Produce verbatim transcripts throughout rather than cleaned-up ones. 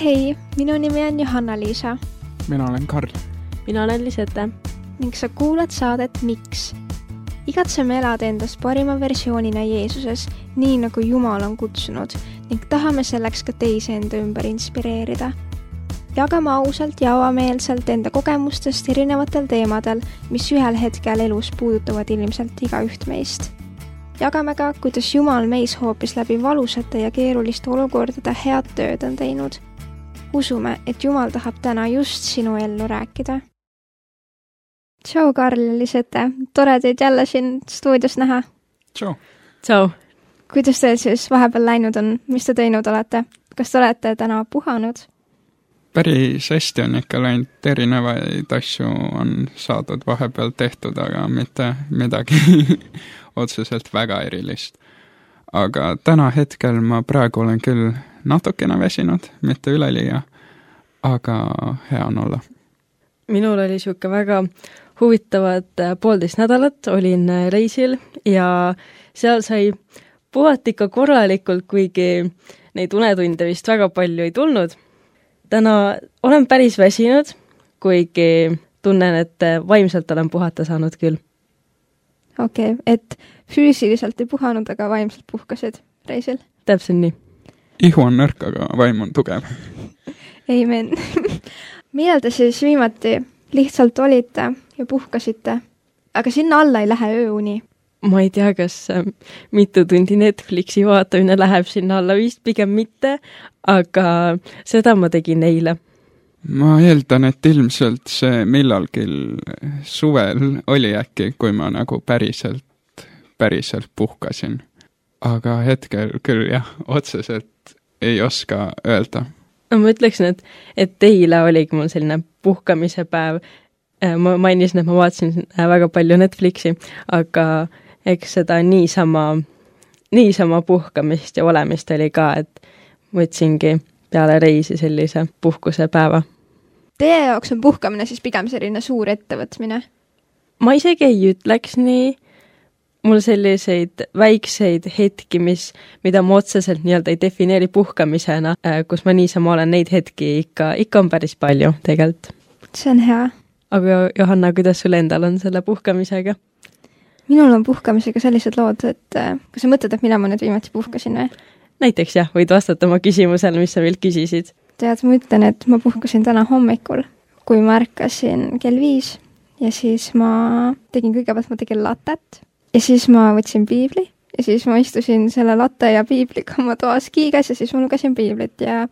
Hei, minu nimi on Johanna-Liisa. Mina olen Karl. Mina olen Lisette. Ning sa kuulad saadet Miks? Igatseme elada endast parima versioonina Jeesuses, nii nagu Jumal on kutsunud, ning tahame selleks ka teisi enda ümber inspireerida. Jagame ausalt ja avameelselt enda kogemustest erinevatel teemadel, mis ühel hetkel elus puudutavad ilmselt igaüht meist. Jagame ka, kuidas Jumal meis hoopis läbi valusate ja keeruliste olukordade head tööd on teinud. Usume, et Jumal tahab täna just sinu ellu rääkida. Tšau, Karl ja Lisette. Tore teid jälle siin stuudios näha. Tšau. Tšau. Kuidas teil siis vahepeal läinud on? Mis te teinud olete? Kas te olete täna puhanud? Päris hästi on ikka läinud, erinevaid asju on saadud vahepeal tehtud, aga mitte midagi otseselt väga erilist. Aga täna hetkel ma praegu olen küll natukene väsinud, mitte üleliia, aga hea on olla. Minul oli siuke väga huvitavad poolteist nädalat, olin reisil ja seal sai puhata ikka korralikult, kuigi neid unetunde vist väga palju ei tulnud. Täna olen päris väsinud, kuigi tunnen, et vaimselt olen puhata saanud küll. Okei, okay, et füüsiliselt ei puhanud, aga vaimselt puhkasid reisil? Täpselt nii. Ihu on nõrk, aga vaim on tugev. Amen. Millal te siis viimati lihtsalt olite ja puhkasite, aga sinna alla ei lähe ööuni? Ma ei tea, kas mitu tundi Netflixi vaatamine läheb sinna alla, vist pigem mitte, aga seda ma tegin eile. Ma eeldan, et ilmselt see millalgi suvel oli äkki, kui ma nagu päriselt, päriselt puhkasin. Aga hetkel küll jah, otseselt ei oska öelda. Ma ütleksin, et, et eile oligi mul selline puhkamise päev. Ma mainisin, et ma vaatasin väga palju Netflixi, aga eks seda niisama, niisama puhkamist ja olemist oli ka, et võtsingi peale reisi sellise puhkuse päeva. Teie jaoks on puhkamine siis pigem selline suur ettevõtmine? Ma isegi ei ütleks nii. Mul selliseid väikseid hetki, mis, mida ma otseselt nii-öelda ei defineeri puhkamisena, kus ma niisama olen neid hetki ikka, ikka on päris palju tegelikult. See on hea. Aga Johanna, kuidas sul endal on selle puhkamisega? Minul on puhkamisega sellised lood, et kas sa mõtled, et mina ma nüüd viimati puhkasin või? Näiteks jah, võid vastata oma küsimusele, mis sa veel küsisid. Tead, ma ütlen, et ma puhkasin täna hommikul, kui ma ärkasin kell viis ja siis ma tegin kõigepealt, ma tegin latet ja siis ma võtsin piibli ja siis ma istusin selle latte ja piibliga oma toas kiigas ja siis ma lugesin piiblit ja,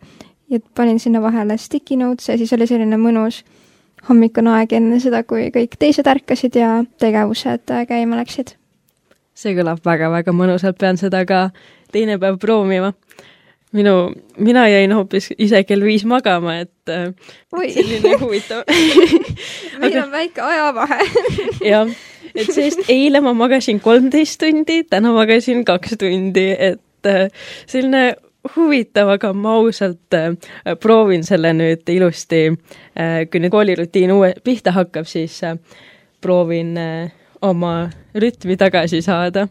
ja panin sinna vahele sticky notes ja siis oli selline mõnus hommikune aeg enne seda, kui kõik teised ärkasid ja tegevused käima läksid. See kõlab väga-väga mõnusalt, pean seda ka teine päev proovima. Minu, mina jäin hoopis ise kell viis magama, et Oi. selline huvitav. Meil on väike ajavahe. jah, et seest eile ma magasin kolmteist tundi, täna magasin kaks tundi, et selline huvitav, aga ma ausalt proovin selle nüüd ilusti, kui nüüd koolirutiin uue pihta hakkab, siis proovin oma rütmi tagasi saada.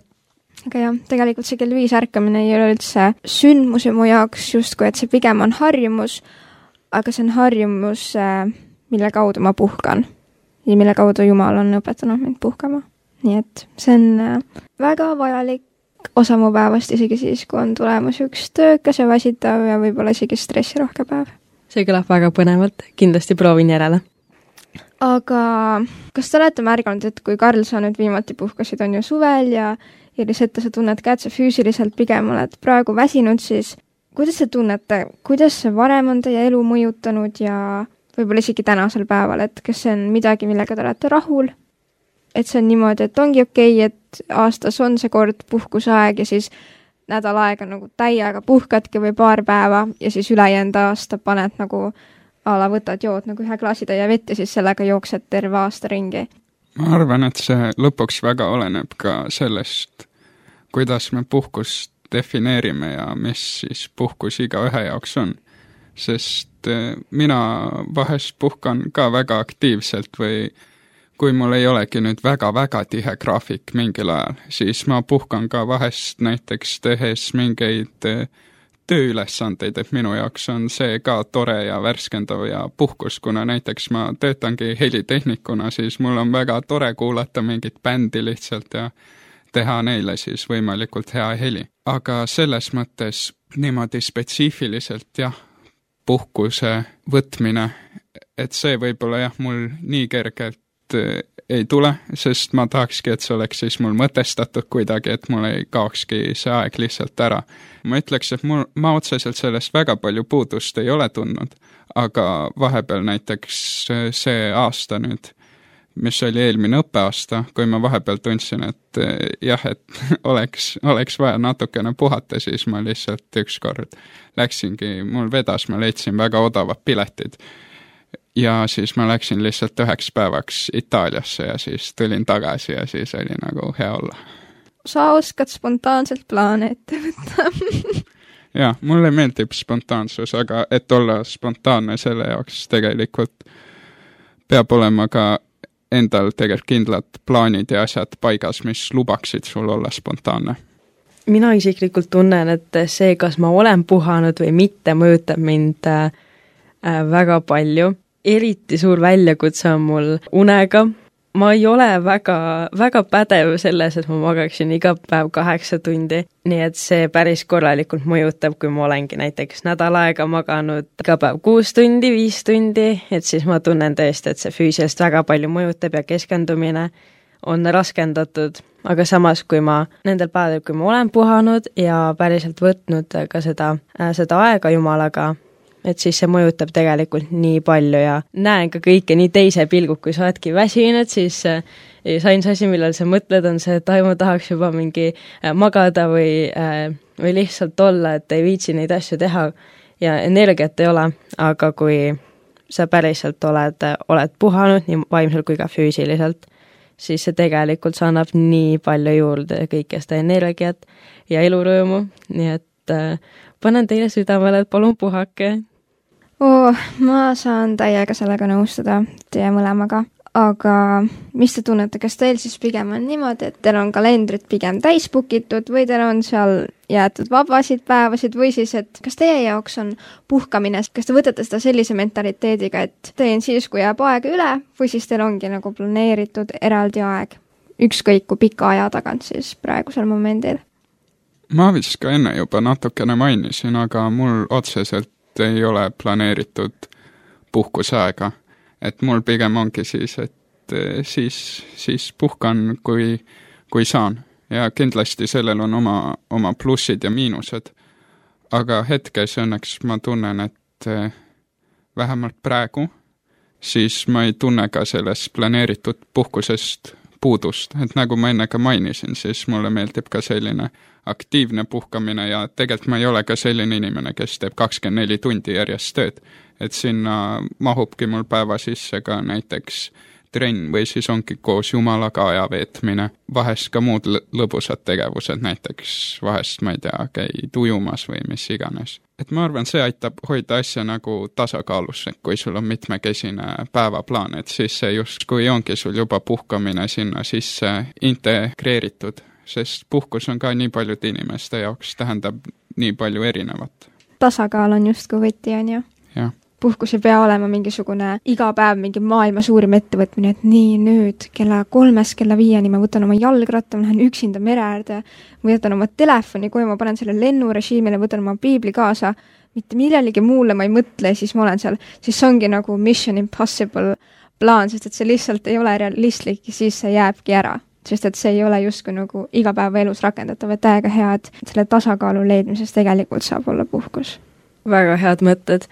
Aga jah, tegelikult see kell viis ärkamine ei ole üldse sündmuse mu jaoks justkui, et see pigem on harjumus, aga see on harjumus, mille kaudu ma puhkan ja mille kaudu Jumal on õpetanud mind puhkama. Nii et see on väga vajalik osa mu päevast, isegi siis, kui on tulemas üks töökas ja väsitav ja võib-olla isegi stressirohke päev. See kõlab väga põnevalt, kindlasti proovin järele. Aga kas te olete märganud, et kui Karl sa nüüd viimati puhkasid, on ju suvel ja ja Lisette sa tunned ka, et sa füüsiliselt pigem oled praegu väsinud, siis kuidas te tunnete, kuidas see varem on teie elu mõjutanud ja võib-olla isegi tänasel päeval, et kas see on midagi, millega te olete rahul? Et see on niimoodi, et ongi okei, et aastas on see kord puhkusaeg ja siis nädal aega nagu täiega puhkadki või paar päeva ja siis ülejäänud aasta paned nagu ala võtad jood nagu ühe klaasitäie vett ja siis sellega jooksed terve aasta ringi. Ma arvan, et see lõpuks väga oleneb ka sellest, kuidas me puhkust defineerime ja mis siis puhkus iga ühe jaoks on. Sest mina vahest puhkan ka väga aktiivselt või kui mul ei olegi nüüd väga-väga tihe graafik mingil ajal, siis ma puhkan ka vahest näiteks tehes mingeid tööülesandeid, et minu jaoks on see ka tore ja värskendav ja puhkus, kuna näiteks ma töötangi helitehnikuna, siis mul on väga tore kuulata mingit bändi lihtsalt ja teha neile siis võimalikult hea heli. Aga selles mõttes niimoodi spetsiifiliselt jah, puhkuse võtmine, et see võib-olla jah, mul nii kergelt ei tule, sest ma tahakski, et see oleks siis mul mõtestatud kuidagi, et mul ei kaokski see aeg lihtsalt ära. Ma ütleks, et mul, ma otseselt sellest väga palju puudust ei ole tundnud, aga vahepeal näiteks see aasta nüüd, mis oli eelmine õppeaasta, kui ma vahepeal tundsin, et jah, et oleks, oleks vaja natukene puhata, siis ma lihtsalt ükskord läksingi, mul vedas, ma leidsin väga odavad piletid. Ja siis ma läksin lihtsalt üheks päevaks Itaaliasse ja siis tulin tagasi ja siis oli nagu hea olla. Sa oskad spontaanselt plaane ette võtta. Jah, mulle meeldib spontaansus, aga et olla spontaanne selle jaoks tegelikult peab olema ka endal tegelikult kindlad plaanid ja asjad paigas, mis lubaksid sul olla spontaanne. Mina isiklikult tunnen, et see, kas ma olen puhanud või mitte, mõjutab mind äh, väga palju. Eriti suur väljakutse on mul unega. Ma ei ole väga, väga pädev selles, et ma magaksin iga päev kaheksa tundi, nii et see päris korralikult mõjutab, kui ma olengi näiteks nädal aega maganud iga päev kuus tundi, viis tundi, et siis ma tunnen tõesti, et see füüsilist väga palju mõjutab ja keskendumine on raskendatud, aga samas, kui ma nendel päevadel, kui ma olen puhanud ja päriselt võtnud ka seda, seda aega Jumalaga, et siis see mõjutab tegelikult nii palju ja näen ka kõike nii teise pilgu, kui sa oledki väsinud, siis sain see asi, millal sa mõtled, on see, et ai, ma tahaks juba mingi magada või, või lihtsalt olla, et ei viitsi neid asju teha ja energiat ei ole, aga kui sa päriselt oled, oled puhanud nii vaimselt kui ka füüsiliselt, siis see tegelikult sa annab nii palju juurde kõike seda energiat ja elurõõmu, nii et äh, panen teile südamele, et palun puhake. Oo, ma saan täiega sellega nõustuda teie mõlemaga, aga mis te tunnete, kas teil siis pigem on niimoodi, et teil on kalendrid pigem täispukitud või teil on seal jäetud vabasid päevasid või siis, et kas teie jaoks on puhkamine, kas te võtate seda sellise mentaliteediga, et teen siis, kui jääb aega üle või siis teil ongi nagu planeeritud eraldi aeg, ükskõik kui pika aja tagant siis praegusel momendil? Ma vist ka enne juba natukene mainisin, aga mul otseselt ei ole planeeritud puhkusaega, et mul pigem ongi siis, et siis, siis puhkan, kui, kui saan ja kindlasti sellel on oma, oma plussid ja miinused, aga hetkes õnneks ma tunnen, et vähemalt praegu siis ma ei tunne ka sellest planeeritud puhkusest puudust, et nagu ma enne ka mainisin, siis mulle meeldib ka selline aktiivne puhkamine ja tegelikult ma ei ole ka selline inimene, kes teeb kakskümmend neli tundi järjest tööd, et sinna mahubki mul päeva sisse ka näiteks trenn või siis ongi koos Jumalaga aja veetmine, vahest ka muud lõbusad tegevused, näiteks vahest, ma ei tea, käid ujumas või mis iganes. Et ma arvan, see aitab hoida asja nagu tasakaalus, et kui sul on mitmekesine päevaplaan, et siis see just, kui ongi sul juba puhkamine sinna sisse integreeritud, sest puhkus on ka nii paljude inimeste jaoks, tähendab nii palju erinevat. Tasakaal on just kui võti, on ju? Jah. Puhkus ei pea olema mingisugune iga päev mingi maailma suurim ettevõtmine, et nii nüüd kella kolmest kella viieni ma võtan oma jalgratta, ma lähen üksinda mere äärde, võtan oma telefoni, kui ma panen selle lennurežiimile, võtan oma piibli kaasa, mitte millelegi muule ma ei mõtle, siis ma olen seal, siis ongi nagu Mission Impossible plaan, sest et see lihtsalt ei ole realistlik ja siis see jääbki ära. Sest et see ei ole justkui nagu iga päeva elus rakendatav, et täiega hea, et selle tasakaalu leidmises tegelikult saab olla puhkus. Väga head mõtted.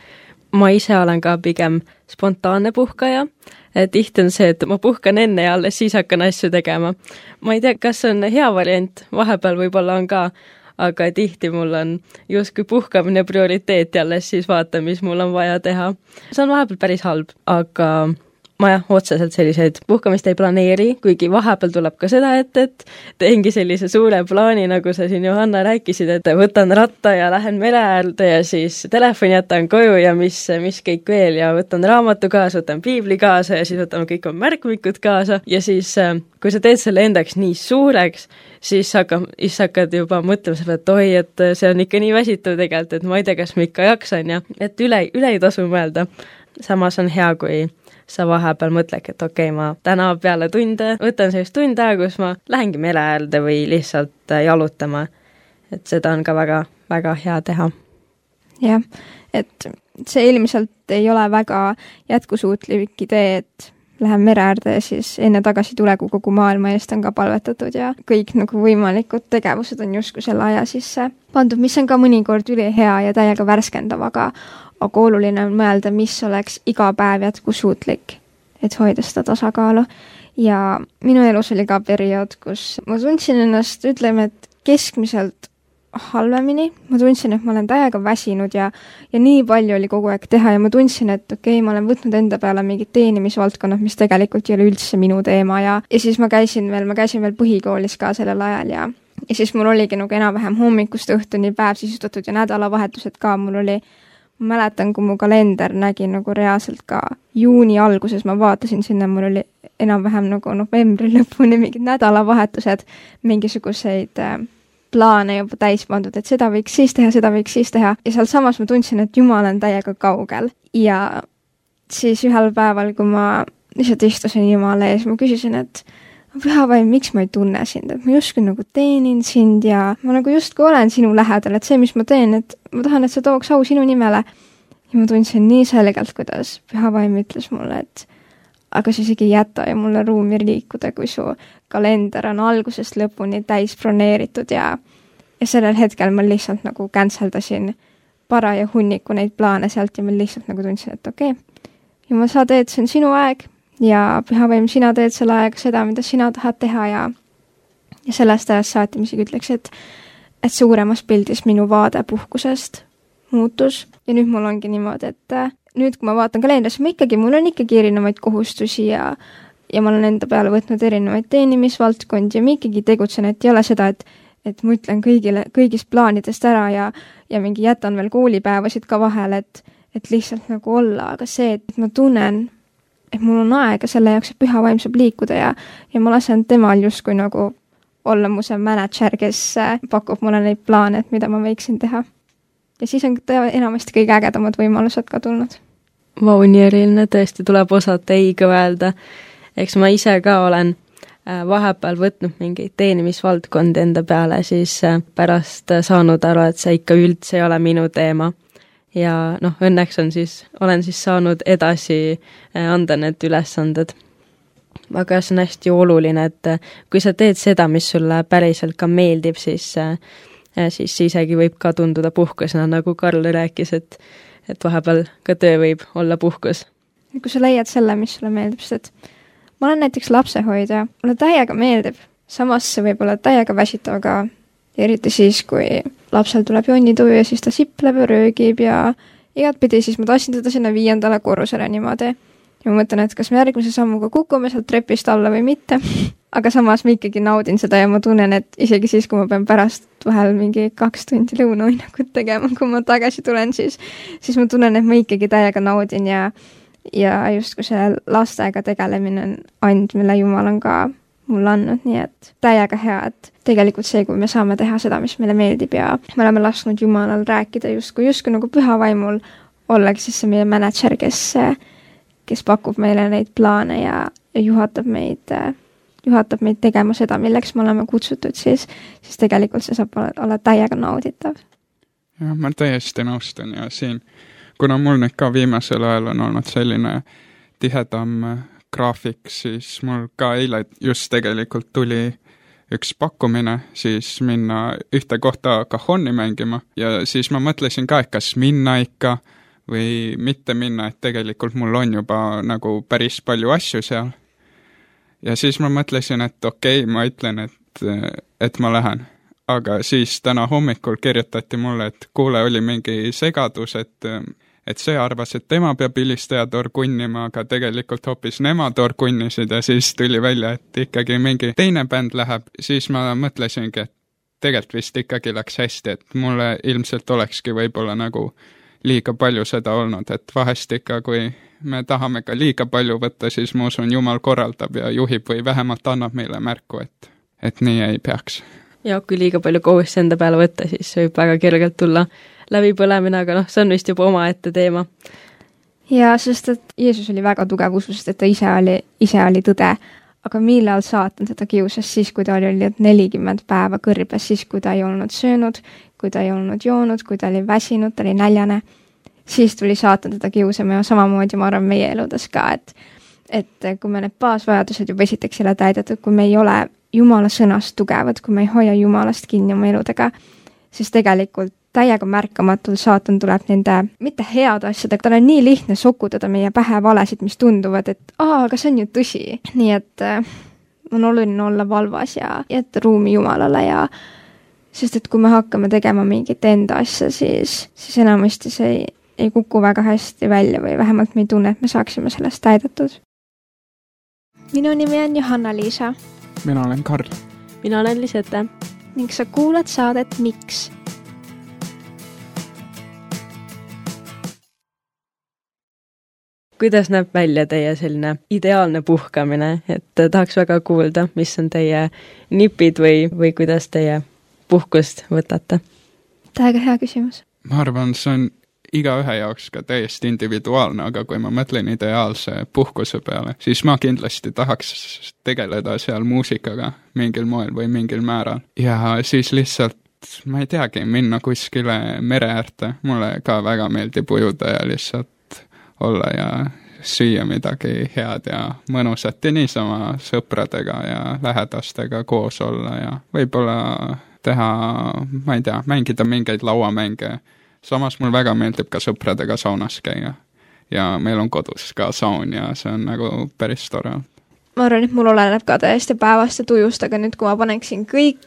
Ma ise olen ka pigem spontaanne puhkaja. Tihti on see, et ma puhkan enne ja alles siis hakkan asju tegema. Ma ei tea, kas on hea variant, vahepeal võib-olla on ka, aga tihti mul on justkui puhkamine prioriteet ja alles siis vaatan, mis mul on vaja teha. See on vahepeal päris halb, aga ma jah, otseselt selliseid puhkamist ei planeeri, kuigi vahepeal tuleb ka seda, et, et teengi sellise suure plaani, nagu sa siin Johanna rääkisid, et võtan ratta ja lähen mere äärde ja siis telefoni jätan koju ja mis, mis kõik veel ja võtan raamatu kaasa, võtan piibli kaasa ja siis võtame kõik on märkmikud kaasa ja siis kui sa teed selle endaks nii suureks, siis hakkab, siis hakkad juba mõtlema selle, et oi, et see on ikka nii väsitav tegelikult, et ma ei tea, kas ma ikka jaksan ja et üle, üle ei tasu mõelda. Samas on hea, kui sa vahepeal mõtledki, et okei okay,, ma täna peale tunde võtan sellist tund aega, kus ma lähengi mere äärde või lihtsalt jalutama. Et seda on ka väga, väga hea teha. Jah, et see ilmselt ei ole väga jätkusuutlik idee, et lähen mere äärde ja siis enne tagasi tule, kui kogu maailma eest on ka palvetatud ja kõik nagu võimalikud tegevused on justkui selle aja sisse pandud, mis on ka mõnikord üli hea ja täiega värskendav, aga aga oluline on mõelda, mis oleks iga päev jätkusuutlik, et hoida seda tasakaalu. Ja minu elus oli ka periood, kus ma tundsin ennast, ütleme, et keskmiselt halvemini. Ma tundsin, et ma olen täiega väsinud ja, ja nii palju oli kogu aeg teha ja ma tundsin, et okei, okay, ma olen võtnud enda peale mingid teenimisvaldkonnad, mis tegelikult ei ole üldse minu teema ja, ja siis ma käisin veel, ma käisin veel põhikoolis ka sellel ajal ja, ja siis mul oligi nagu enam-vähem hommikust õhtuni päev sisustatud ja nädalavahetused ka, mul oli ma mäletan, kui mu kalender nägi nagu reaalselt ka juuni alguses, ma vaatasin sinna, mul oli enam-vähem nagu novembri lõpuni mingid nädalavahetused, mingisuguseid äh, plaane juba täis pandud, et seda võiks siis teha, seda võiks siis teha. Ja seal samas ma tundsin, et Jumal on täiega kaugel. Ja siis ühel päeval, kui ma lihtsalt istusin Jumala ees, ma küsisin, et pühavaim, miks ma ei tunne sind, et ma justkui nagu teenin sind ja ma nagu justkui olen sinu lähedal, et see, mis ma teen, et ma tahan, et see tooks au sinu nimele. Ja ma tundsin nii selgelt, kuidas pühavaim ütles mulle, et aga sa isegi ei jäta ja mulle ruumi liikuda, kui su kalender on algusest lõpuni täis broneeritud ja, ja sellel hetkel ma lihtsalt nagu canceldasin paraja hunniku neid plaane sealt ja ma lihtsalt nagu tundsin, et okei, okay, Jumal, sa teed, see on sinu aeg ja pühavaim, sina teed selle aega seda, mida sina tahad teha ja, ja sellest ajast saati, mis ütleks, et, et suuremas pildis minu vaade puhkusest muutus ja nüüd mul ongi niimoodi, et nüüd, kui ma vaatan kalendrisse, ma ikkagi, mul on ikkagi erinevaid kohustusi ja, ja ma olen enda peale võtnud erinevaid teenimisvaldkondi ja ma ikkagi tegutsen, et ei ole seda, et, et ma ütlen kõigile, kõigist plaanidest ära ja, ja mingi jätan veel koolipäevasid ka vahel, et, et lihtsalt nagu olla, aga see, et ma tunnen, et mul on aega selle jaoks, et pühavaim saab liikuda ja, ja ma lasen temal justkui nagu olla mu see manager, kes pakub mulle neid plaane, et mida ma võiksin teha. Ja siis on enamasti kõige ägedamad võimalused ka tulnud. Vau, nii eriline, tõesti tuleb osata ei kõvelda. Eks ma ise ka olen vahepeal võtnud mingeid teenimisvaldkondi enda peale, siis pärast saanud aru, et see ikka üldse ei ole minu teema. Ja noh, õnneks on siis, olen siis saanud edasi anda need ülesanded. Aga see on hästi oluline, et kui sa teed seda, mis sulle päriselt ka meeldib, siis, siis isegi võib ka tunduda puhkusena, nagu Karl rääkis, et, et vahepeal ka töö võib olla puhkus. Kui sa leiad selle, mis sulle meeldib, sest ma olen näiteks lapsehoidja, mulle täiega meeldib, samas see võib olla täiega väsitav ka eriti siis, kui lapsel tuleb jonnituju ja siis ta sipleb ja röögib ja igatpidi, siis ma tahtsin teda sinna viiendale korrusele niimoodi. Ja ma mõtlen, et kas me järgmise sammuga kukume sealt trepist alla või mitte. Aga samas ma ikkagi naudin seda ja ma tunnen, et isegi siis, kui ma pean pärast vahel mingi kaks tundi lõunauinakut tegema, kui ma tagasi tulen, siis, siis ma tunnen, et ma ikkagi täiega naudin ja, ja just kui see lastega tegelemine on and, mille Jumal on ka mulle andnud, nii et täiega hea, et tegelikult see, kui me saame teha seda, mis meile meeldib ja me oleme lasknud Jumalal rääkida justkui, justkui nagu pühavaimul ollagi siis see meie manager, kes, kes pakub meile neid plaane ja, ja juhatab meid, juhatab meid tegema seda, milleks me oleme kutsutud, siis, siis tegelikult see saab olla, olla täiega nauditav. jah, ma täiesti nõustun ja siin, kuna mul nüüd ka viimasel ajal on olnud selline tihedam graafik, siis mul ka eile just tegelikult tuli üks pakkumine, siis minna ühte kohta Cajoni mängima ja siis ma mõtlesin ka, et kas minna ikka või mitte minna, et tegelikult mul on juba nagu päris palju asju seal. Ja siis ma mõtlesin, et okei, okay, ma ütlen, et, et ma lähen. Aga siis täna hommikul kirjutati mulle, et kuule, oli mingi segadus, et et see arvas, et tema peab hilistajad orgunnima, aga tegelikult hoopis nemad orgunnisid ja siis tuli välja, et ikkagi mingi teine bänd läheb, siis ma mõtlesingi, et tegelikult vist ikkagi läks hästi, et mulle ilmselt olekski võib-olla nagu liiga palju seda olnud, et vahest ikka, kui me tahame ka liiga palju võtta, siis ma usun, Jumal korraldab ja juhib või vähemalt annab meile märku, et, et nii ei peaks. Ja kui liiga palju kohustusi enda peale võtta, siis võib väga kergelt tulla läbipõlemine, aga noh, see on vist juba omaette teema. Ja sest, et Jeesus oli väga tugev usus, et ta ise oli, ise oli tõde, aga millal saatan teda kiusas siis, kui ta oli nelikümmend päeva kõrbes, siis kui ta ei olnud söönud, kui ta ei olnud joonud, kui ta oli väsinud, ta oli näljane, siis tuli saatan teda kiusama ja samamoodi ma arvan meie eludes ka, et, et kui me need baasvajadused juba esiteks ei ole täidetud, kui me ei ole Jumala sõnast tugevad, kui me ei hoia Jumalast kinni oma eludega, siis tegelikult täiega märkamatul saatan tuleb nende mitte head asjadega, tal on nii lihtne sokutada meie pähe valesid, mis tunduvad, et aa, aga see on ju tõsi. Nii et äh, on oluline olla valvas ja jätta ruumi Jumalale ja sest et kui me hakkame tegema mingit enda asja, siis, siis enamasti see ei, ei kuku väga hästi välja või vähemalt me ei tunne, et me saaksime sellest täidetud. Minu nimi on Johanna-Liisa. Mina olen Karl. Mina olen Lisette. Ning sa kuulad saadet Miks? Kuidas näeb välja teie selline ideaalne puhkamine, et tahaks väga kuulda, mis on teie nipid või, või kuidas teie puhkust võtate? Täiega hea küsimus. Ma arvan, see on iga ühe jaoks ka täiesti individuaalne, aga kui ma mõtlen ideaalse puhkuse peale, siis ma kindlasti tahaks tegeleda seal muusikaga mingil moel või mingil määral. Ja siis lihtsalt, ma ei teagi, minna kuskile mere äärde. Mulle ka väga meeldib ujuda ja lihtsalt olla ja süüa midagi head ja mõnusat ja niisama sõpradega ja lähedastega koos olla ja võib-olla teha, ma ei tea, mängida mingeid lauamänge. Samas mul väga meeldib ka sõpradega saunas käia ja meil on kodus ka saun ja see on nagu päris tore. Ma arvan, et mul oleneb ka täiesti päevast ja tujust, aga nüüd kui ma paneksin kõik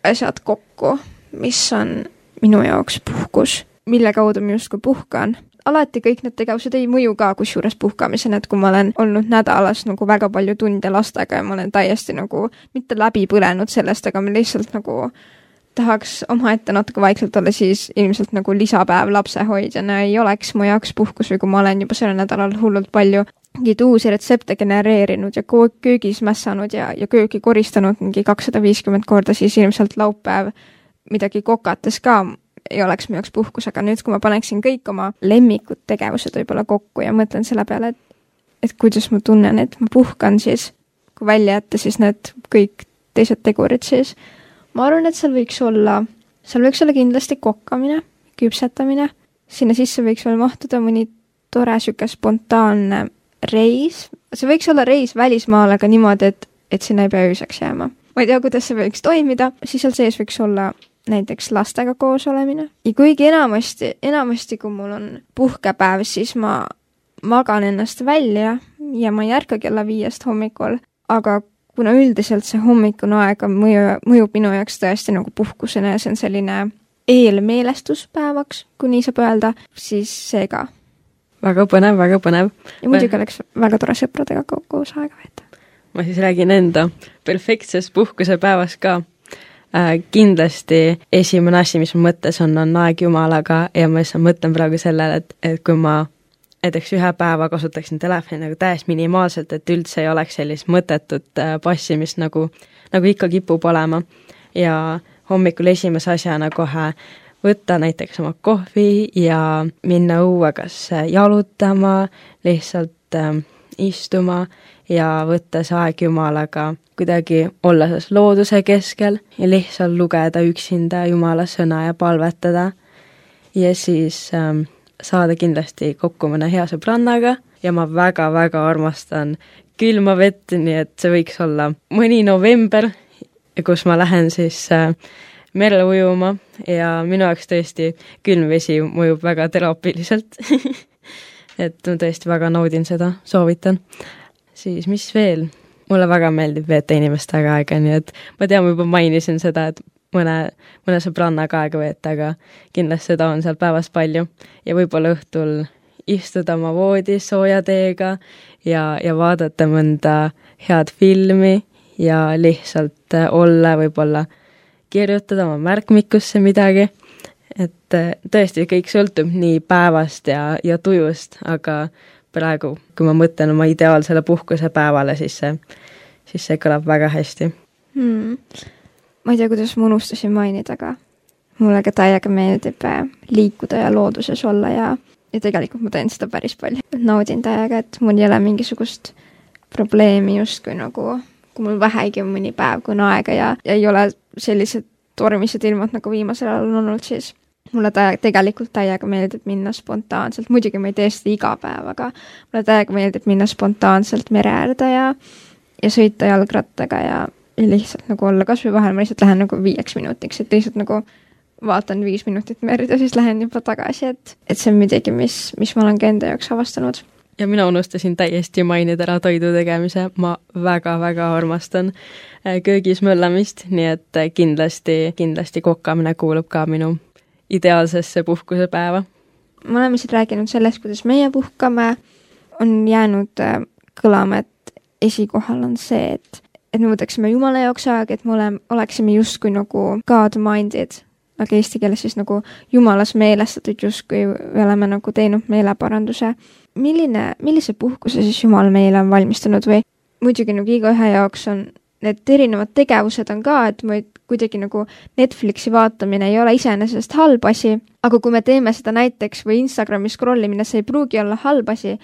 asjad kokku, mis on minu jaoks puhkus, mille kaudu ma justkui puhkan, alati kõik need tegevused ei mõju ka kusjuures puhkamisena, et kui ma olen olnud nädalas nagu väga palju tunde lastega ja ma olen täiesti nagu mitte läbi põlenud sellest, aga ma lihtsalt nagu tahaks omaette natuke vaikselt olla, siis ilmselt nagu lisapäev lapsehoidjana ei oleks mu jaoks puhkus või kui ma olen juba selle nädalal hullult palju mingeid uusi retsepte genereerinud ja köögis mässanud ja, ja köögi koristanud mingi kakssada viiskümmend korda, siis ilmselt laupäev midagi kokates ka ei oleks mu jaoks puhkus, aga nüüd, kui ma paneksin kõik oma lemmikud tegevused võib-olla kokku ja mõtlen selle peale, et, et kuidas ma tunnen, et ma puhkan, siis kui välja jätta siis need kõik teised tegurid, siis ma arvan, et seal võiks olla, seal võiks olla kindlasti kokkamine, küpsetamine, sinna sisse võiks veel mahtuda mõni tore süke spontaanne reis, see võiks olla reis välismaal, aga niimoodi, et, et sinna ei pea ööseks jääma. Ma ei tea, kuidas see võiks toimida, siis seal sees võiks olla näiteks lastega koos olemine. Ja kuigi enamasti, enamasti kui mul on puhkepäev, siis ma magan ennast välja ja ma ei ärka kella viiest hommikul, aga kuna üldiselt see hommikune aeg mõju, mõjub minu jaoks tõesti nagu puhkusena ja see on selline eelmeelestuspäevaks, kui nii saab öelda, siis see ka. Väga põnev, väga põnev. Ja muidugi oleks väga tore sõpradega koos aega veeta. Ma siis räägin enda perfektsest puhkusepäevast ka. Äh, kindlasti esimene asi, mis ma mõttes on, on aeg Jumalaga ja ma lihtsalt mõtlen praegu sellele, et, et kui ma näiteks ühe päeva kasutaksin telefoni nagu täiesti minimaalselt, et üldse ei oleks sellist mõttetut äh, passimist nagu, nagu ikka kipub olema ja hommikul esimese asjana kohe võtta näiteks oma kohvi ja minna õue kas jalutama, lihtsalt äh, istuma ja võtta see aeg Jumalaga kuidagi olla selles looduse keskel ja lihtsalt lugeda üksinda Jumala sõna ja palvetada ja siis ähm, saada kindlasti kokku mõne hea sõbrannaga ja ma väga-väga armastan külma vett, nii et see võiks olla mõni november, kus ma lähen siis äh, merele ujuma ja minu jaoks tõesti külm vesi mõjub väga teraapiliselt et ma tõesti väga naudin seda, soovitan. Siis mis veel? Mulle väga meeldib veeta inimestega aega, nii et ma tean, ma juba mainisin seda, et mõne, mõne sõbrannaga aega veeta, aga kindlasti seda on seal päevas palju ja võib-olla õhtul istuda oma voodis sooja teega ja, ja vaadata mõnda head filmi ja lihtsalt olla, võib-olla kirjutada oma märkmikusse midagi. Et tõesti, kõik sõltub nii päevast ja, ja tujust, aga praegu, kui ma mõtlen oma ideaalsele puhkuse päevale, siis see, siis see kõlab väga hästi. Hmm. Ma ei tea, kuidas ma unustasin mainida, aga mulle ka täiega meeldib liikuda ja looduses olla ja, ja tegelikult ma teen seda päris palju. Naudin täiega, et mul ei ole mingisugust probleemi justkui nagu, kui mul vähegi on mõni päev, kui on aega ja, ja ei ole sellised tormised ilmad, nagu viimasel ajal on olnud, siis mulle täiega, tegelikult täiega meeldib minna spontaanselt. Muidugi ma ei tee seda iga päev, aga mulle täiega meeldib minna spontaanselt mere äärde ja, ja sõita jalgrattaga ja, ja lihtsalt nagu olla. Kas või vahel ma lihtsalt lähen nagu viieks minutiks, et lihtsalt nagu vaatan viis minutit merd ja siis lähen juba tagasi, et, et see on midagi, mis, mis ma olen ka enda jaoks avastanud. Ja mina unustasin täiesti mainida ära toidu tegemise. Ma väga-väga armastan köögis möllamist, nii et kindlasti, kindlasti kokkamine kuulub ka minu ideaalsesse puhkusepäeva. Me oleme siin rääkinud sellest, kuidas meie puhkame. On jäänud kõlama, et esikohal on see, et, et me võtaksime Jumala jaoks aega, et me ole, oleksime justkui nagu God-minded, aga eesti keeles siis nagu Jumalas meelestatud, justkui me oleme nagu teinud meeleparanduse. Milline, millise puhkuse siis Jumal meile on valmistanud või muidugi nagu iga ühe jaoks on need erinevad tegevused on ka, et me kuidagi nagu Netflixi vaatamine ei ole iseenesest halb asi, aga kui me teeme seda näiteks või Instagrami scrollimine, see ei pruugi olla halb asi,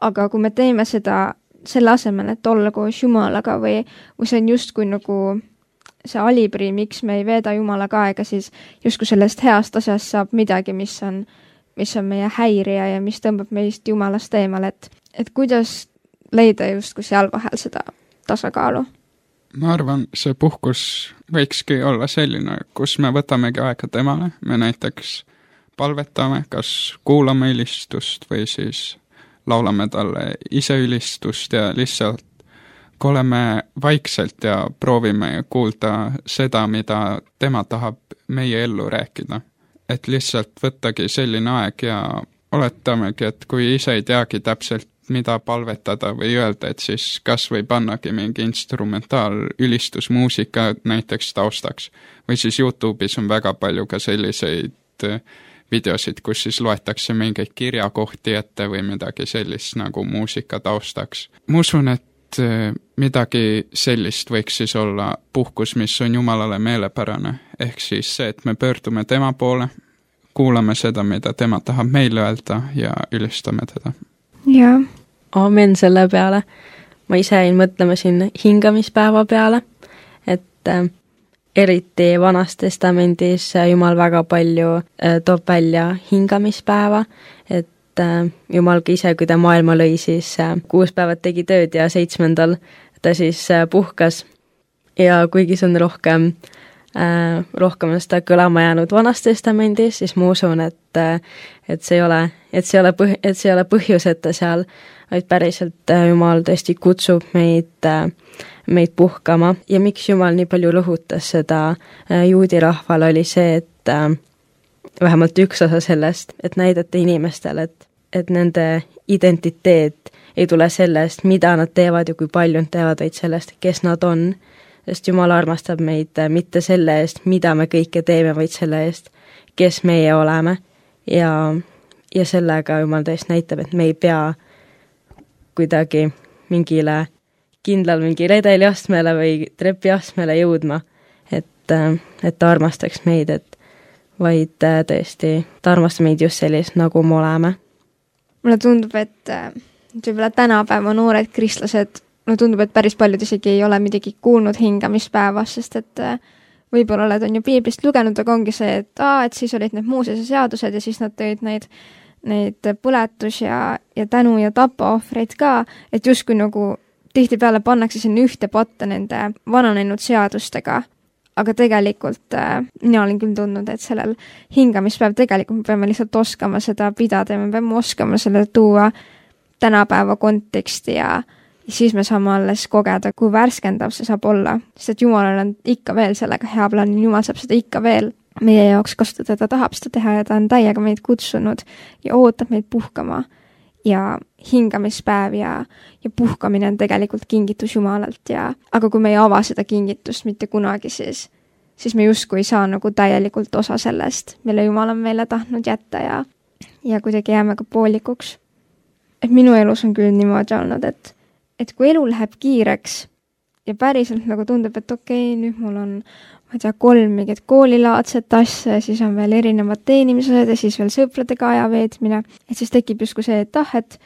aga kui me teeme seda selle asemel, et olla koos Jumalaga või, või see on justkui nagu see alibri, miks me ei veeda Jumalaga aega, siis justkui sellest heast asjast saab midagi, mis on mis on meie häirija ja mis tõmbab meist Jumalast eemal, et, et kuidas leida justkui seal vahel seda tasakaalu? Ma arvan, see puhkus võikski olla selline, kus me võtamegi aega temale, me näiteks palvetame, kas kuulame ülistust või siis laulame talle ise ülistust ja lihtsalt kui oleme vaikselt ja proovime kuulda seda, mida tema tahab meie ellu rääkida. Et lihtsalt võttagi selline aeg ja oletamegi, et kui ise ei teagi täpselt, mida palvetada või öelda, et siis kas või pannagi mingi instrumentaal ülistusmuusika näiteks taustaks. Või siis YouTube'is on väga palju ka selliseid videosid, kus siis loetakse mingeid kirjakohti ette või midagi sellist nagu muusika taustaks. Ma usun, et midagi sellist võiks siis olla puhkus, mis on Jumalale meelepärane. Ehk siis see, et me pöördume tema poole, kuulame seda, mida tema tahab meile öelda ja ülistame teda. Jaa. Aamen selle peale. Ma ise jäin mõtlema siin hingamispäeva peale, et äh, eriti Vanas Testamendis Jumal väga palju äh, toob välja hingamispäeva, et Jumal ka ise, kui ta maailma lõi, siis kuus päevad tegi tööd ja seitsmendal ta siis puhkas. Ja kuigi see on rohkem, äh, rohkem seda kõlama jäänud Vanas Testamendis, siis ma usun, et, et see ei ole, et see ei ole, põh, et see ei ole põhjuseta seal, vaid päriselt Jumal tõesti kutsub meid, meid puhkama. Ja miks Jumal nii palju rõhutas seda juudi rahval oli see, et äh, vähemalt üks osa sellest, et näidata inimestele, et et nende identiteet ei tule sellest, mida nad teevad ja kui palju nad teevad, vaid sellest, kes nad on. Sest Jumal armastab meid mitte selle eest, mida me kõike teeme, vaid selle eest, kes meie oleme. Ja, ja sellega Jumal tõesti näitab, et me ei pea kuidagi mingile kindlal mingi redeliastmele või trepiastmele jõudma, et, et ta armastaks meid, et vaid tõesti ta armastab meid just sellist, nagu me oleme. Mulle tundub, et võib-olla tänapäeva noored kristlased, mulle tundub, et päris paljud isegi ei ole midagi kuulnud hingamispäevast, sest et võib-olla oled on ju piiblist lugenud, aga ongi see, et aa, et siis olid need Moosese seadused ja siis nad tõid neid, neid põletus ja, ja tänu ja tapaohvreid ka, et justkui nagu tihtipeale pannakse sinna ühte patta nende vananenud seadustega. Aga tegelikult äh, mina olen küll tundnud, et sellel hingamispäev tegelikult me peame lihtsalt oskama seda pidada ja me peame oskama selle tuua tänapäeva konteksti ja, ja siis me saame alles kogeda, kui värskendav see saab olla. Sest et Jumalal on ikka veel sellega hea plaan, Jumal saab seda ikka veel meie jaoks kasutada, ta tahab seda teha ja ta on täiega meid kutsunud ja ootab meid puhkama. ja hingamispäev ja, ja puhkamine on tegelikult kingitus Jumalalt ja aga kui me ei ava seda kingitust mitte kunagi, siis, siis me justkui ei saa nagu täielikult osa sellest, mille Jumal on meile tahtnud jätta ja, ja kuidagi jääme ka poolikuks. Et minu elus on küll niimoodi olnud, et, et kui elu läheb kiireks ja päriselt nagu tundub, et okei, nüüd mul on, ma ei tea, kolm mingit koolilaadset asja ja siis on veel erinevad teenimised ja siis veel sõpradega aja veetmine. Et siis tekib justkui see, et ah, et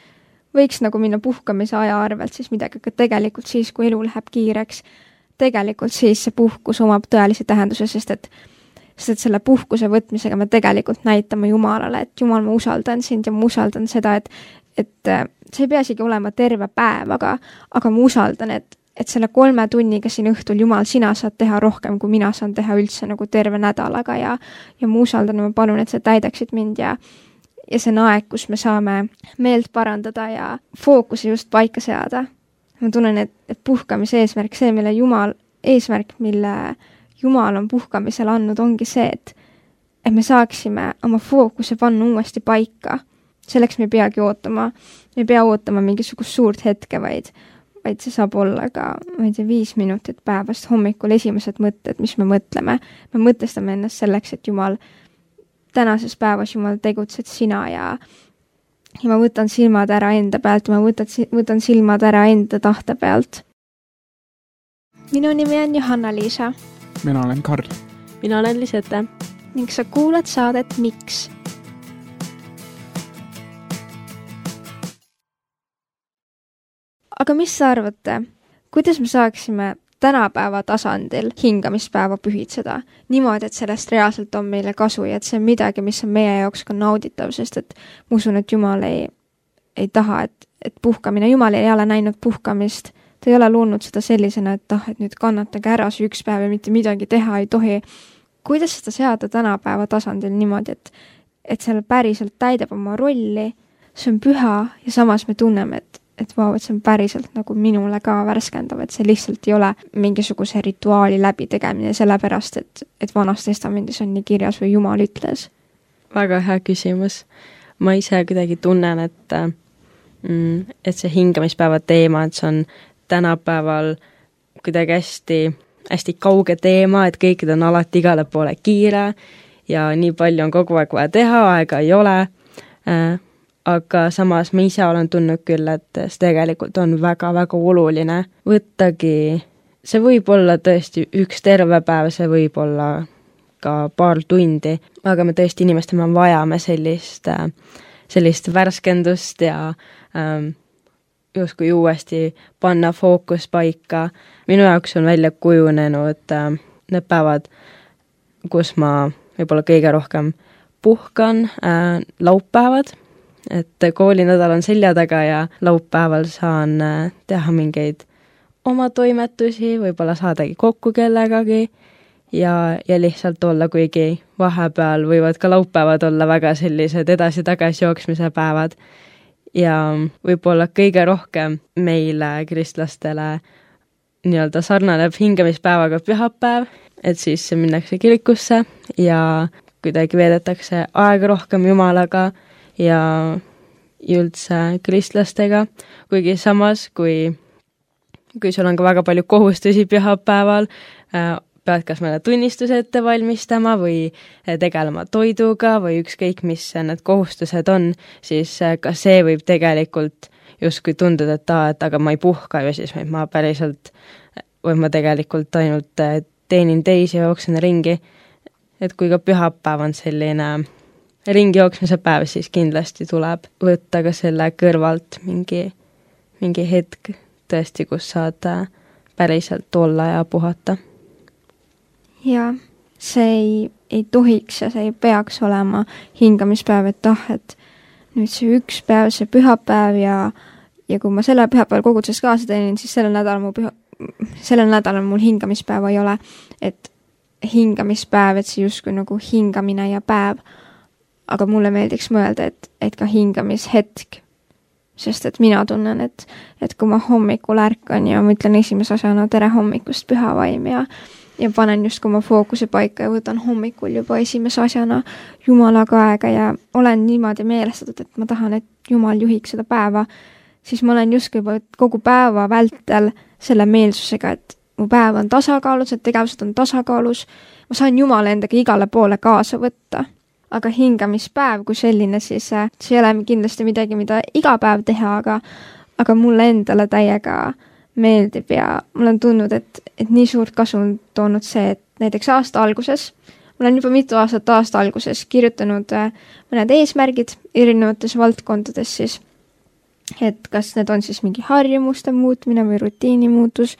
võiks nagu minna puhkamise aja arvelt siis midagi, aga tegelikult siis, kui elu läheb kiireks, tegelikult siis see puhkus omab tõelise tähenduse, sest et, sest et selle puhkuse võtmisega me tegelikult näitame Jumalale, et Jumal, ma usaldan sind ja ma usaldan seda, et, et see ei pea isegi olema terve päev, aga, aga ma usaldan, et et selle kolme tunniga siin õhtul, Jumal, sina saad teha rohkem, kui mina saan teha üldse nagu terve nädalaga ja, ja ma usaldan ja ma palun, et sa täidaksid mind ja, ja see on aeg, kus me saame meelt parandada ja fookuse just paika seada. Ma tunnen, et, et puhkamise eesmärk, see, mille Jumal, eesmärk, mille Jumal on puhkamisel andnud, ongi see, et, et me saaksime oma fookuse panna uuesti paika. Selleks me ei peagi ootama, me ei pea ootama mingisugust suurt hetke, vaid vaid see saab olla ka, ma ei tea, viis minutit päevast hommikul esimesed mõtted, mis me mõtleme. Me mõtestame ennast selleks, et Jumal, tänases päevas Jumal tegutsed sina ja, ja ma võtan silmad ära enda pealt, ma võtan, võtan silmad ära enda tahte pealt. Minu nimi on Johanna-Liisa. Mina olen Karl. Mina olen Lisette. Ning sa kuulad saadet Miks? Aga mis sa arvate, kuidas me saaksime tänapäeva tasandil hingamispäeva pühitseda niimoodi, et sellest reaalselt on meile kasu ja et see on midagi, mis on meie jaoks ka nauditav, sest et ma usun, et Jumal ei, ei taha, et, et puhkamine, Jumal ei ole näinud puhkamist, ta ei ole loonud seda sellisena, et ah, et nüüd kannatage ära see üks päev ja mitte midagi teha ei tohi. Kuidas seda seada tänapäeva tasandil niimoodi, et, et seal päriselt täidab oma rolli, see on püha ja samas me tunneme, et et vau, et see on päriselt nagu minule ka värskendav, et see lihtsalt ei ole mingisuguse rituaali läbi tegemine sellepärast, et, et Vanas Testamendis on nii kirjas või Jumal ütles. Väga hea küsimus. Ma ise kuidagi tunnen, et, et see hingamispäeva teema, et see on tänapäeval kuidagi hästi, hästi kauge teema, et kõikid on alati igale poole kiire ja nii palju on kogu aeg vaja teha, aega ei ole. Aga samas ma ise olen tundnud küll, et see tegelikult on väga-väga oluline võttagi, see võib olla tõesti üks terve päev, see võib olla ka paar tundi, aga me tõesti inimestena vajame sellist, sellist värskendust ja ähm, justkui uuesti panna fookus paika. Minu jaoks on välja kujunenud äh, need päevad, kus ma võib-olla kõige rohkem puhkan, äh, laupäevad, et koolinädal on selja taga ja laupäeval saan teha mingeid oma toimetusi, võib-olla saadagi kokku kellegagi ja, ja lihtsalt olla, kuigi vahepeal võivad ka laupäevad olla väga sellised edasi-tagasi jooksmise päevad. Ja võib-olla kõige rohkem meile, kristlastele, nii-öelda sarnaneb hingamispäevaga pühapäev, et siis minnakse kirikusse ja kuidagi veedetakse aega rohkem Jumalaga ja üldse kristlastega, kuigi samas, kui, kui sul on ka väga palju kohustusi pühapäeval, pead kas mõne tunnistuse ette valmistama või tegelema toiduga või ükskõik, mis need kohustused on, siis ka see võib tegelikult justkui tunduda, et, ta, et aga ma ei puhka ju siis, ma päriselt, või ma tegelikult ainult teenin teisi ja jooksen ringi, et kui ka pühapäev on selline ringi jooksmise päev, siis kindlasti tuleb võtta ka selle kõrvalt mingi, mingi hetk tõesti, kus saad päriselt olla ja puhata. Ja see ei, ei tohiks ja see ei peaks olema hingamispäev, et ah, et nüüd see üks päev, see pühapäev ja, ja kui ma selle pühapäeval koguduses kaasa teenin, siis sellel nädalal mu püha, sellel nädalal mul hingamispäeva ei ole, et hingamispäev, et see justkui nagu hingamine ja päev, aga mulle meeldiks mõelda, et, et ka hingamishetk, sest et mina tunnen, et, et kui ma hommikul ärkan ja ma ütlen esimese asjana tere hommikust pühavaim ja, ja panen just oma fookuse paika ja võtan hommikul juba esimese asjana Jumalaga aega ja olen niimoodi meelestatud, et ma tahan, et Jumal juhiks seda päeva, siis ma olen justkui juba kogu päeva vältel selle meelsusega, et mu päev on tasakaalus, et tegevused on tasakaalus, ma saan Jumala endaga igale poole kaasa võtta. Aga hingamispäev kui selline, siis see ei ole kindlasti midagi, mida iga päev teha, aga, aga mulle endale täiega meeldib ja mul on tundnud, et, et nii suurt kasu on toonud see, et näiteks aasta alguses, mul on juba mitu aastat aasta alguses kirjutanud mõned eesmärgid erinevates valdkondades siis, et kas need on siis mingi harjumuste muutmine või rutiini muutus,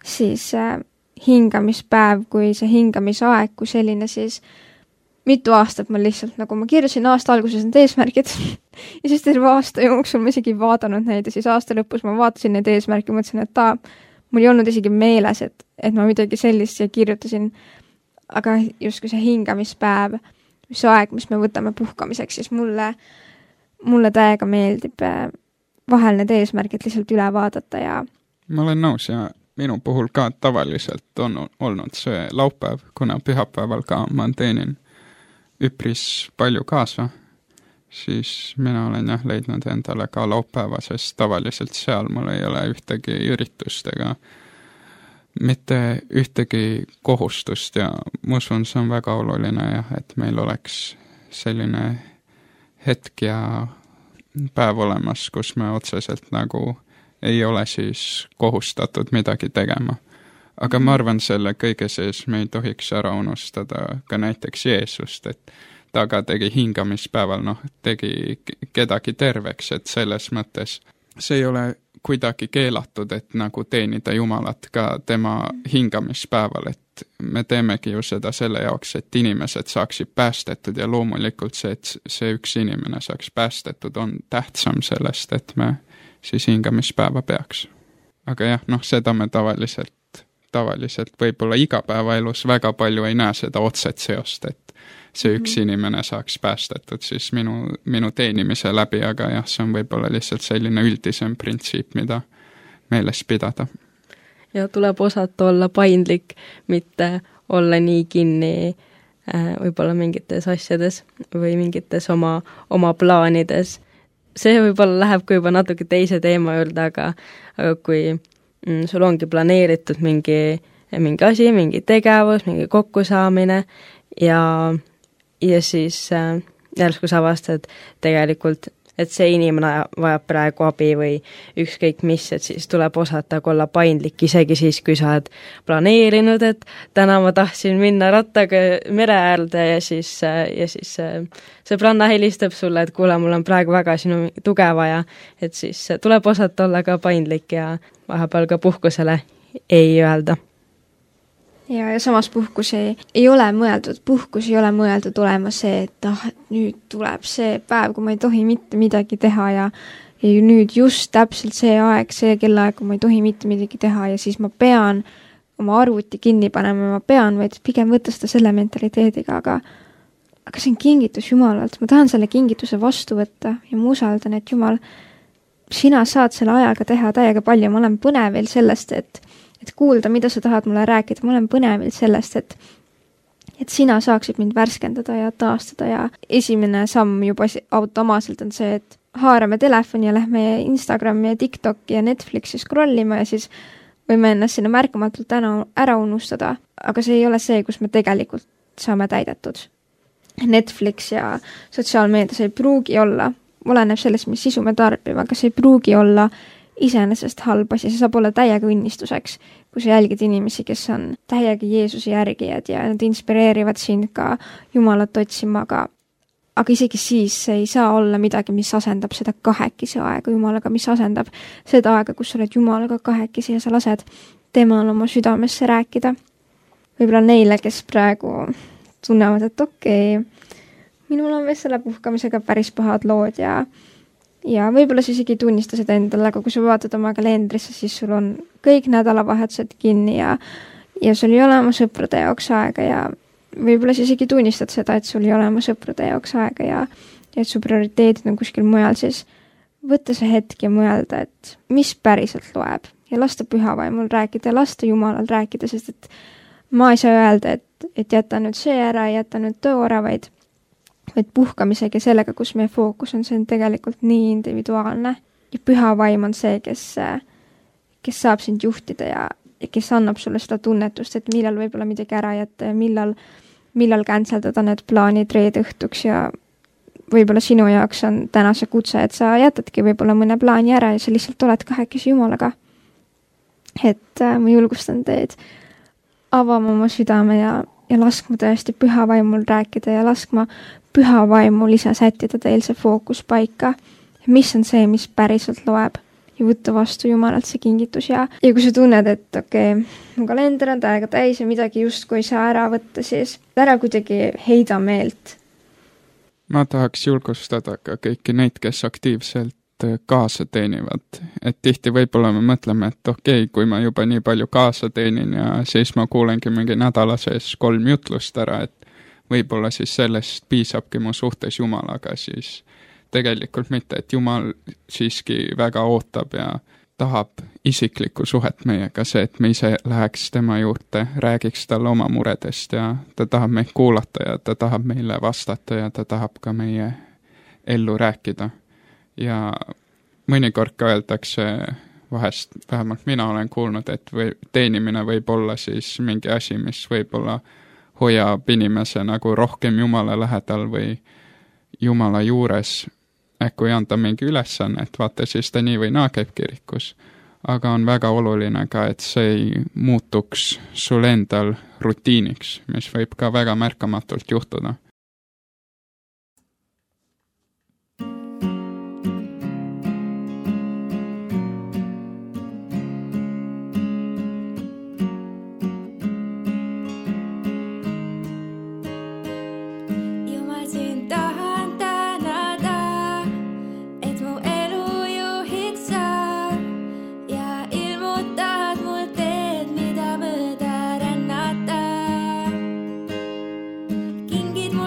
siis äh, hingamispäev kui see hingamisaeg kui selline siis mitu aastat ma lihtsalt, nagu ma kirjusin aasta alguses need eesmärgid ja siis terve aasta jooksul ma isegi vaadanud neid ja siis aasta lõpus ma vaatasin neid eesmärke ja mõtlesin, et ta, mul ei olnud isegi meeles, et, et ma midagi sellist siia kirjutasin, aga justkui see hingamispäev, see aeg, mis me võtame puhkamiseks, siis mulle, mulle täiega meeldib vahel need eesmärgid lihtsalt üle vaadata ja ma olen nõus ja minu puhul ka tavaliselt on olnud see laupäev, kuna pühapäeval ka ma teenin üpris palju kaasa, siis mina olen jah leidnud endale ka laupäeva, sest tavaliselt seal mul ei ole ühtegi üritust ega mitte ühtegi kohustust ja ma usun, see on väga oluline jah, et meil oleks selline hetk ja päev olemas, kus me otseselt nagu ei ole siis kohustatud midagi tegema. Aga ma arvan, selle kõige sees me ei tohiks ära unustada ka näiteks Jeesust, et ta ka tegi hingamispäeval, noh, tegi kedagi terveks, et selles mõttes see ei ole kuidagi keelatud, et nagu teenida Jumalat ka tema hingamispäeval, et me teemegi ju seda selle jaoks, et inimesed saaksid päästetud ja loomulikult see, et see üks inimene saaks päästetud, on tähtsam sellest, et me siis hingamispäeva peaks. Aga jah, noh, seda me tavaliselt tavaliselt võib-olla igapäevaelus väga palju ei näe seda otset seost, et see üks inimene saaks päästetud siis minu, minu teenimise läbi, aga jah, see on võib-olla lihtsalt selline üldisem printsiip, mida meeles pidada. Ja tuleb osata olla paindlik, mitte olla nii kinni võib-olla mingites asjades või mingites oma, oma plaanides. See võib-olla läheb kui juba natuke teise teema juurde, aga, aga kui sul ongi planeeritud mingi, mingi asi, mingi tegevus, mingi kokkusaamine ja, ja siis äh, järsku sa avastad tegelikult, et see inimene vajab praegu abi või ükskõik mis, et siis tuleb osata olla paindlik, isegi siis, kui sa oled planeerinud, et täna ma tahtsin minna rattaga mere äärde ja siis, ja siis sõbranna helistab sulle, et kuule, mul on praegu väga sinu tuge vaja, et siis tuleb osata olla ka paindlik ja vahepeal ka puhkusele ei öelda. Ja, ja samas puhkus ei, ei ole mõeldud, puhkus ei ole mõeldud olema see, et ah, nüüd tuleb see päev, kui ma ei tohi mitte midagi teha ja, ja nüüd just täpselt see aeg, see kellaaeg, kui ma ei tohi mitte midagi teha ja siis ma pean oma arvuti kinni panema, ma pean, vaid pigem võtta seda selle mentaliteediga, aga, aga see on kingitus Jumalalt, ma tahan selle kingituse vastu võtta ja ma usaldan, et Jumal, sina saad selle ajaga teha täiega palju, ma olen põnevil sellest, et et kuulda, mida sa tahad mulle rääkida, ma olen põnevil sellest, et et sina saaksid mind värskendada ja taastada ja esimene samm juba automaatselt on see, et haarame telefoni ja lähme Instagrami ja TikToki ja Netflixi scrollima ja siis võime ennast sinna märkamatult ära, ära unustada, aga see ei ole see, kus me tegelikult saame täidetud. Netflix ja sotsiaalmeedias ei pruugi olla, oleneb sellest, mis sisu me tarbime, aga see ei pruugi olla iseenesest halb asi, see saab olla täiega õnnistuseks, kui sa jälgid inimesi, kes on täiega Jeesuse järgijad ja nad inspireerivad sind ka Jumalat otsima, aga, aga isegi siis see ei saa olla midagi, mis asendab seda kahekesi aega Jumalaga, mis asendab seda aega, kus sa oled Jumalaga kahekesi ja sa lased temal oma südamesse rääkida. Võib-olla neile, kes praegu tunnevad, et okei, minul on vist selle puhkamisega päris pahad lood ja Ja võib-olla siis isegi tunnista seda endale, aga kui sa vaatad oma kalendrisse, siis sul on kõik nädalavahetused kinni ja, ja sul ei ole oma sõprade jaoks aega ja võib-olla siis isegi tunnistad seda, et sul ei ole oma sõprade jaoks aega ja, ja et su prioriteedid on kuskil mujal, siis võtta see hetk ja mõelda, et mis päriselt loeb ja lasta pühavaimul rääkida ja lasta Jumalal rääkida, sest et ma ei saa öelda, et, et jäta nüüd see ära, jäta nüüd too ära, vaid, vaid puhkamisega sellega, kus meie fookus on, see on tegelikult nii individuaalne. Ja püha vaim on see, kes, kes saab sind juhtida ja, ja kes annab sulle seda tunnetust, et millal võib-olla midagi ära jätta ja millal, millal känseldada need plaanid reede õhtuks ja võib-olla sinu jaoks on täna see kutse, et sa jätadki võib-olla mõne plaani ära ja sa lihtsalt oled kahekesi Jumalaga. Et äh, ma julgustan teid avama oma südame ja, ja laskma tõesti püha vaimul rääkida ja laskma püha vaimul ise sättida teil see fookus paika. Mis on see, mis päriselt loeb ja võtta vastu Jumalalt see kingitus ja, ja kui sa tunned, et okei, okay, mu kalender on täiega täis ja midagi justkui ei saa ära võtta, siis ära kuidagi heida meelt. Ma tahaks julgustada ka kõiki neid, kes aktiivselt kaasa teenivad. Et tihti võib-olla me mõtleme, et okei, okay, kui ma juba nii palju kaasa teenin ja siis ma kuulengi mingi nädala sees kolm jutlust ära, et võib-olla siis sellest piisabki mu suhtes Jumalaga, siis tegelikult mitte, et Jumal siiski väga ootab ja tahab isiklikku suhet meiega, see, et me ise läheks tema juurde, räägiks talle oma muredest ja ta tahab meid kuulata ja ta tahab meile vastata ja ta tahab ka meie ellu rääkida. Ja mõnikord ka öeldakse vahest, vähemalt mina olen kuulnud, et või, teenimine võib olla siis mingi asi, mis võib-olla hoiab inimese nagu rohkem Jumala lähedal või Jumala juures. Äkku ei anda mingi ülesanne, et vaata siis ta nii või naa käib kirikus. Aga on väga oluline ka, et see ei muutuks sul endal rutiiniks, mis võib ka väga märkamatult juhtuda. Kingid mul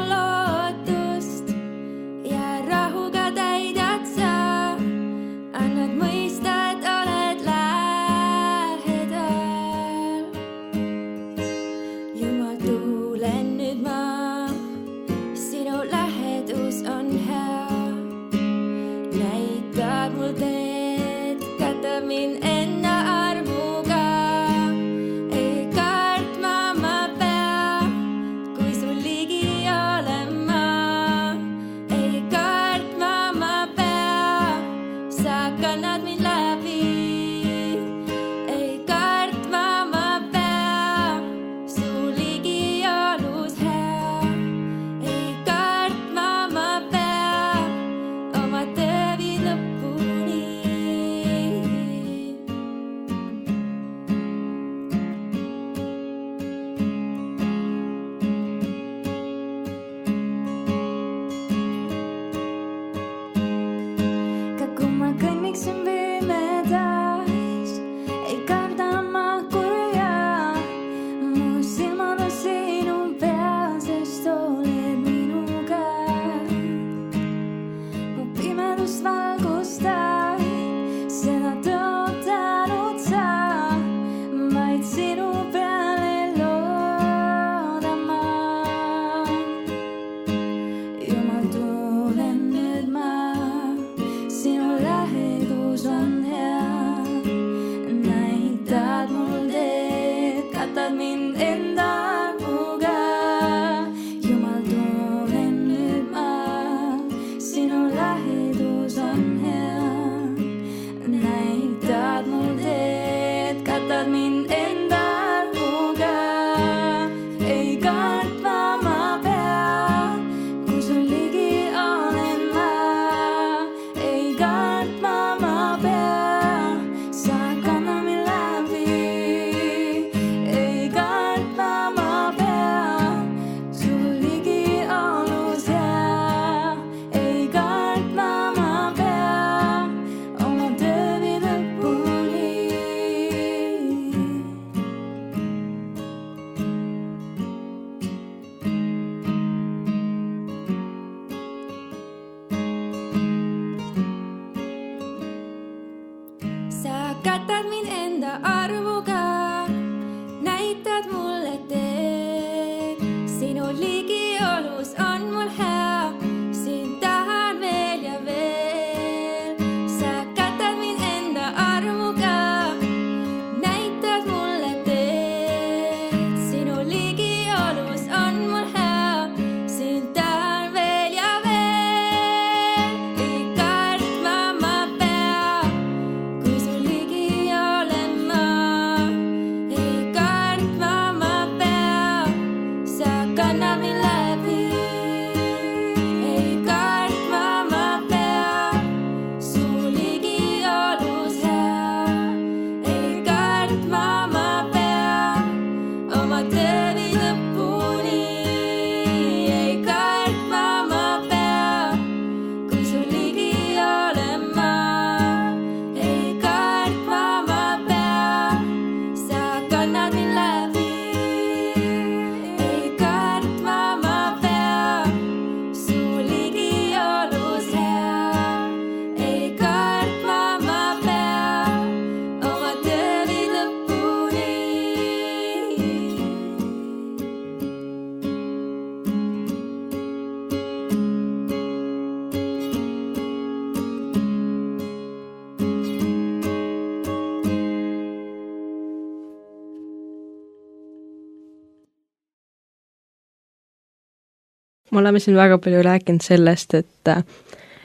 me oleme siin väga palju rääkinud sellest, et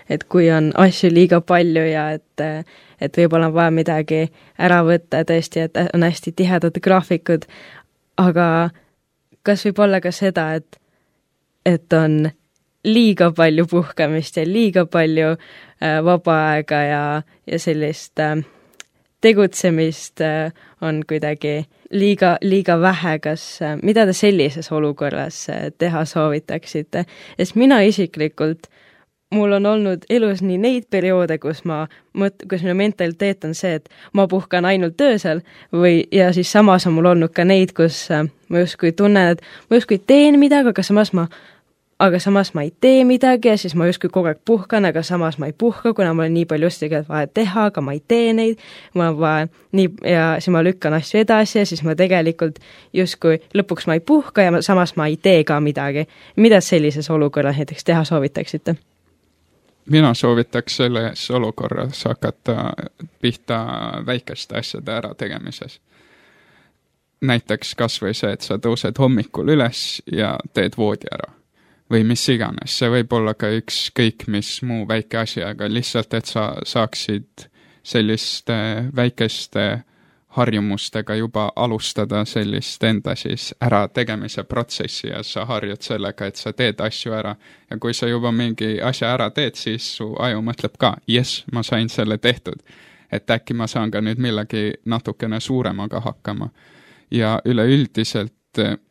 et kui on asju liiga palju ja et, et võib-olla on vaja midagi ära võtta tõesti, et on hästi tihedad graafikud, aga kas võib olla ka seda, et, et on liiga palju puhkamist ja liiga palju äh, vaba aega ja, ja sellist äh, tegutsemist äh, on kuidagi liiga, liiga vähe, kas, äh, mida te sellises olukorras äh, teha soovitaksite? Sest mina isiklikult, mul on olnud elus nii neid perioode, kus ma mõt-, kus minu mentaliteet on see, et ma puhkan ainult öösel või, ja siis samas on mul olnud ka neid, kus äh, ma justkui tunnen, et ma justkui teen midagi, aga samas ma aga samas ma ei tee midagi ja siis ma justkui kogu aeg puhkan, aga samas ma ei puhka, kuna mul on nii palju just tegelikult vaja teha, aga ma ei tee neid, ma vaja nii, ja siis ma lükkan asju edasi ja siis ma tegelikult justkui lõpuks ma ei puhka ja ma, samas ma ei tee ka midagi. Mida sellises olukorras näiteks teha soovitaksite? Mina soovitaks selles olukorras hakata pihta väikeste asjade ära tegemises. Näiteks kas või see, et sa tõused hommikul üles ja teed voodi ära. Või mis iganes, see võib olla ka üks kõik mis muu väike asi, aga lihtsalt, et sa saaksid selliste väikeste harjumustega juba alustada sellist enda siis ära tegemise protsessi ja sa harjud sellega, et sa teed asju ära. Ja kui sa juba mingi asja ära teed, siis su aju mõtleb ka, jes, ma sain selle tehtud. Et äkki ma saan ka nüüd millegi natukene suuremaga hakkama. Ja üleüldiselt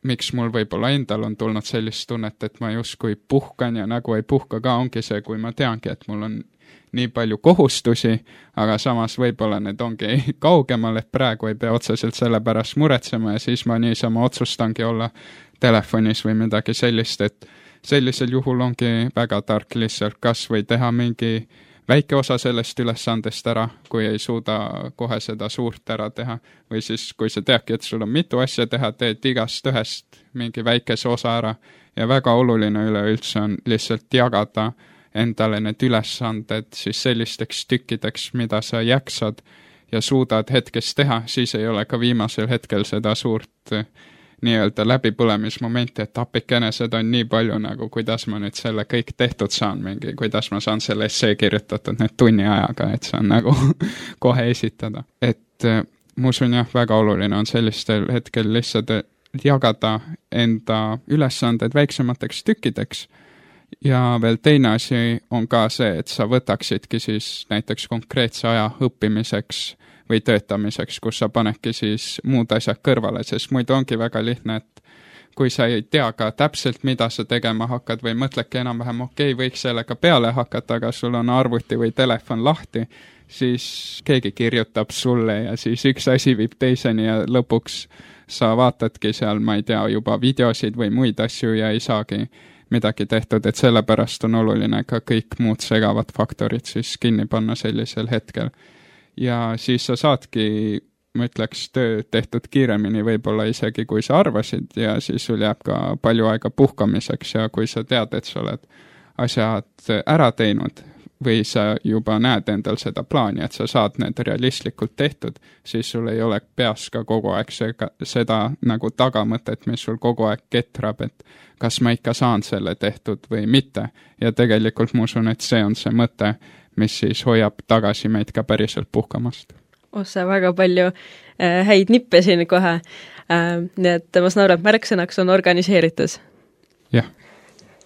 miks mul võib-olla endal on tulnud sellist tunnet, et ma justkui puhkan ja nagu ei puhka ka, ongi see, kui ma teangi, et mul on nii palju kohustusi, aga samas võib-olla need ongi kaugemal, et praegu ei pea otseselt selle pärast muretsema ja siis ma niisama otsustangi olla telefonis või midagi sellist, et sellisel juhul ongi väga tark lihtsalt kas või teha mingi väike osa sellest ülesandest ära, kui ei suuda kohe seda suurt ära teha. Või siis, kui sa teadki, et sul on mitu asja teha, teed igast ühest mingi väikese osa ära. Ja väga oluline üleüldse on lihtsalt jagada endale need ülesanded siis sellisteks tükkideks, mida sa jaksad ja suudad hetkes teha, siis ei ole ka viimasel hetkel seda suurt nii-öelda läbipõlemismomenti, et appikene seda on nii palju nagu, kuidas ma nüüd selle kõik tehtud saan mingi, kuidas ma saan selle essee kirjutatud nüüd tunni ajaga, et saan nagu kohe esitada. Et ma usun jah, väga oluline on sellistel hetkel lihtsalt jagada enda ülesanded väiksemateks tükkideks ja veel teine asi on ka see, et sa võtaksidki siis näiteks konkreetse aja õppimiseks või töötamiseks, kus sa panedki siis muud asjad kõrvale, sest muidu ongi väga lihtne, et kui sa ei tea ka täpselt, mida sa tegema hakkad või mõtledki enam-vähem, okei, okay, võiks sellega peale hakata, aga sul on arvuti või telefon lahti, siis keegi kirjutab sulle ja siis üks asi viib teiseni ja lõpuks sa vaatadki seal, ma ei tea, juba videosid või muid asju ja ei saagi midagi tehtud, et sellepärast on oluline ka kõik muud segavad faktorid siis kinni panna sellisel hetkel. Ja siis sa saadki, ma ütleks, töö tehtud kiiremini võib-olla isegi, kui sa arvasid ja siis sul jääb ka palju aega puhkamiseks ja kui sa tead, et sa oled asjad ära teinud või sa juba näed endal seda plaani, et sa saad need realistlikult tehtud, siis sul ei ole peas ka kogu aeg seda, seda nagu tagamõtet, mis sul kogu aeg ketrab, et kas ma ikka saan selle tehtud või mitte. Ja tegelikult ma usun, et see on see mõte, mis siis hoiab tagasi meid ka päriselt puhkamast. Ossa väga palju äh, häid nippe siin kohe. Äh, nii et ma saan aru, et märksõnaks on organiseeritus. Jah.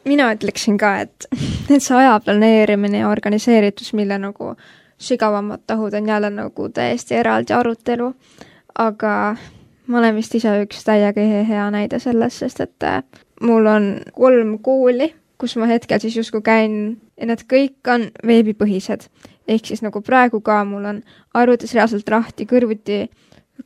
Mina ütleksin ka, et, et see aja planeerimine ja organiseeritus, mille nagu sügavamad tahud on jälle nagu täiesti eraldi arutelu, aga ma olen vist ise üks täiega hea näide selles, sest et mul on kolm kooli, kus ma hetkel siis justkui käin ja need kõik on veebipõhised. Ehk siis nagu praegu ka mul on arvutis reaalselt rahti kõrvuti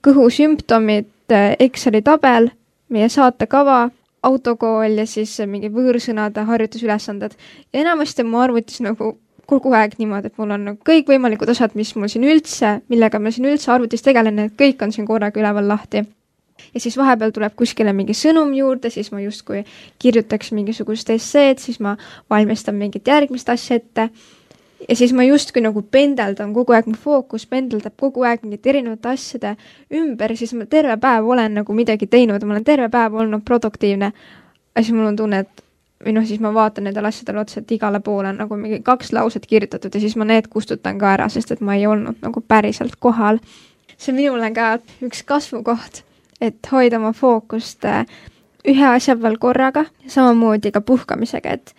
kõhusümptomid, Exceli tabel, meie saatekava, autokool ja siis mingi võõrsõnade harjutusülesanded. Ja enamasti mu arvutis nagu kogu aeg niimoodi, et mul on nagu kõik võimalikud osad, mis mul siin üldse, millega ma siin üldse arvutis tegelen, need kõik on siin korraga üleval lahti. Ja siis vahepeal tuleb kuskile mingi sõnum juurde, siis ma justkui kirjutaks mingisugust esseed, siis ma valmistan mingit järgmist asja ette. Ja siis ma justkui nagu pendeldan kogu aeg, mu fookus pendeldab kogu aeg mingit erinevate asjade ümber, siis ma terve päev olen nagu midagi teinud, ma olen terve päev olnud produktiivne. Ja siis mul on tunne, et või noh, siis ma vaatan nendele asjadele otsa, et igale poole on nagu mingi kaks lauset kirjutatud ja siis ma need kustutan ka ära, sest et ma ei olnud nagu päriselt kohal. See minule ka üks kasvukoht, et hoida oma fookust ühe asja peal korraga ja samamoodi ka puhkamisega, et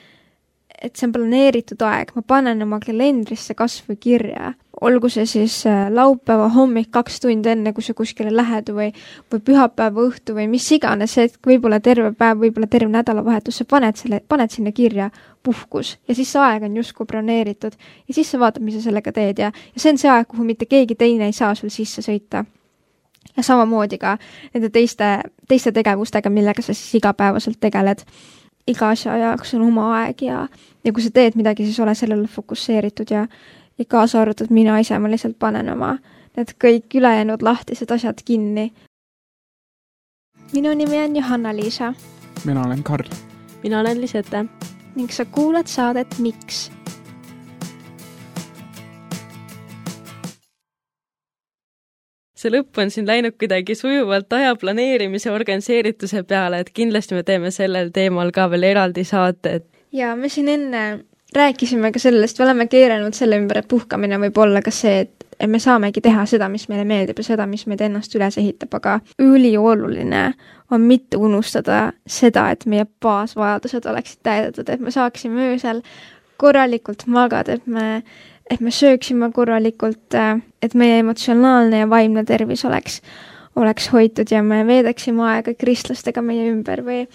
et see on planeeritud aeg, ma panen oma kalendrisse kasvõi kirja. Olgu see siis laupäeva hommik kaks tundi enne, kui sa kuskile lähed või, või pühapäeva õhtu või mis iganes, et võib-olla terve päev, võib-olla terve nädalavahetus, sa paned, selle, paned sinna kirja puhkus ja siis see aeg on justkui planeeritud ja siis sa vaatad, mis sa sellega teed ja, ja see on see aeg, kuhu mitte keegi teine ei saa sul sisse sõita. Ja samamoodi ka nende teiste, teiste tegevustega, millega sa siis igapäevaselt tegeled. Iga asja jaoks on oma aeg ja, ja kui sa teed midagi, siis ole sellele fokusseeritud ja, ja kaasa arvatud mina ise, ma lihtsalt panen oma need kõik ülejäänud lahtised asjad kinni. Minu nimi on Johanna-Liisa. Mina olen Karl. Mina olen Lisette. Ning sa kuulad saadet Miks? See lõpp on siin läinud kuidagi sujuvalt aja planeerimise organiseerituse peale, et kindlasti me teeme sellel teemal ka veel eraldi saate. Ja me siin enne rääkisime ka sellest, me oleme keeranud selle ümber, et puhkamine võib olla ka see, et me saamegi teha seda, mis meile meeldib ja seda, mis meid ennast üles ehitab, aga ülioluline on mitte unustada seda, et meie baasvajadused oleksid täidetud, et me saaksime öösel korralikult magada, et me et me sööksime korralikult, et meie emotsionaalne ja vaimne tervis oleks, oleks hoitud ja me veedaksime aega kristlastega meie ümber või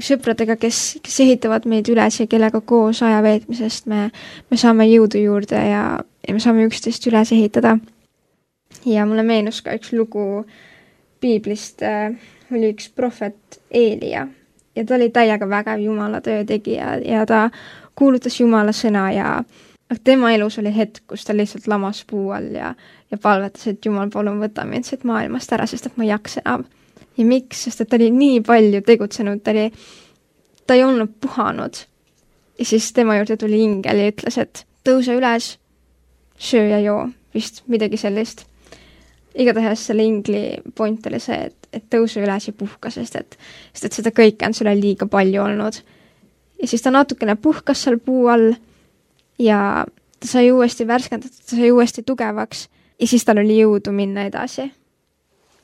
sõpradega, kes, kes ehitavad meid üles ja kellega koos aja veetmisest me, me saame jõudu juurde ja, ja me saame üksteist üles ehitada. Ja mulle meenus ka üks lugu piiblist, oli üks prohvet Eelia ja ta oli täiega vägev Jumala töö tegija ja ta kuulutas Jumala sõna ja tema elus oli hetk, kus ta lihtsalt lamas puu all ja, ja palvetas, et Jumal, palun võta mind siit maailmast ära, sest et ma ei jaksa enam. Ja miks? Sest et ta oli nii palju tegutsenud, ta, oli, ta ei olnud puhanud. Ja siis tema juurde tuli ingel ja ütles, et tõuse üles, söö ja joo, vist midagi sellist. Igatahes selle ingli point oli see, et, et tõuse üles ja puhka, sest et, sest et seda kõike on sulle liiga palju olnud. Ja siis ta natukene puhkas seal puu all ja ta sai uuesti värskendatud, ta sai uuesti tugevaks ja siis tal oli jõudu minna edasi.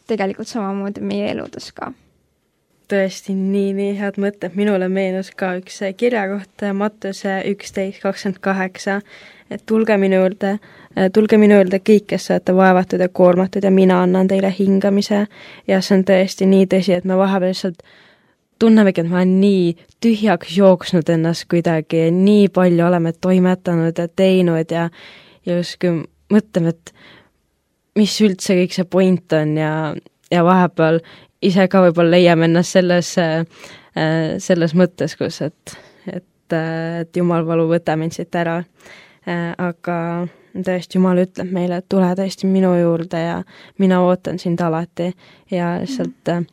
Tegelikult samamoodi meie eludes ka. Tõesti nii, nii head mõtted. Minule meenus ka üks kirjakoht Mattuse üksteist kakskümmend kaheksa, et tulge minu juurde, tulge minu juurde kõik, kes olete vaevatud ja koormatud ja mina annan teile hingamise ja see on tõesti nii tõsi, et me vahepeal lihtsalt tunnemegi, et ma olen nii tühjaks jooksnud ennast kuidagi, nii palju oleme toimetanud ja teinud ja, ja justkui mõtleme, et mis üldse kõik see point on ja, ja vahepeal ise ka võib-olla leiame ennast selles, selles mõttes, kus, et, et, et Jumal valu, võta mind siit ära. Aga tõesti Jumal ütleb meile, et tule tõesti minu juurde ja mina ootan sind alati ja lihtsalt mm.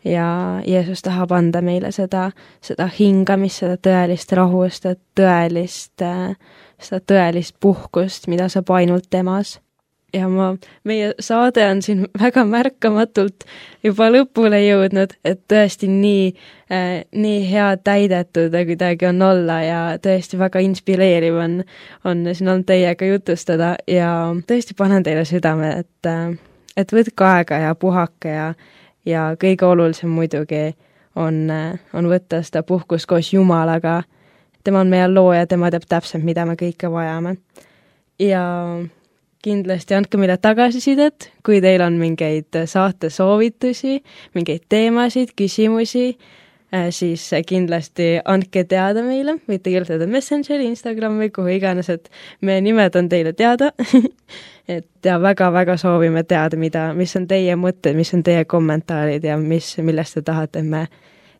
ja Jeesus tahab anda meile seda, seda hingamist, seda tõelist rahu, seda tõelist, seda tõelist puhkust, mida saab ainult temas. Ja ma, meie saade on siin väga märkamatult juba lõpule jõudnud, et tõesti nii, äh, nii hea täidetud kuidagi on olla ja tõesti väga inspireeriv on, on siin on teiega jutustada ja tõesti panen teile südame, et, et võtke aega ja puhake ja ja kõige olulisem muidugi on, on võtta seda puhkust koos Jumalaga. Tema on meie looja, tema teab täpselt, mida me kõike vajame. Ja kindlasti andke meile tagasisidet, kui teil on mingeid saate soovitusi, mingeid teemasid, küsimusi, siis kindlasti andke teada meile, võite kirjutada Messengeri, Instagrami, kuhu iganes, et meie nimed on teile teada. Et ja väga-väga soovime teada, mida, mis on teie mõtted, mis on teie kommentaarid ja mis, millest te tahate, et me,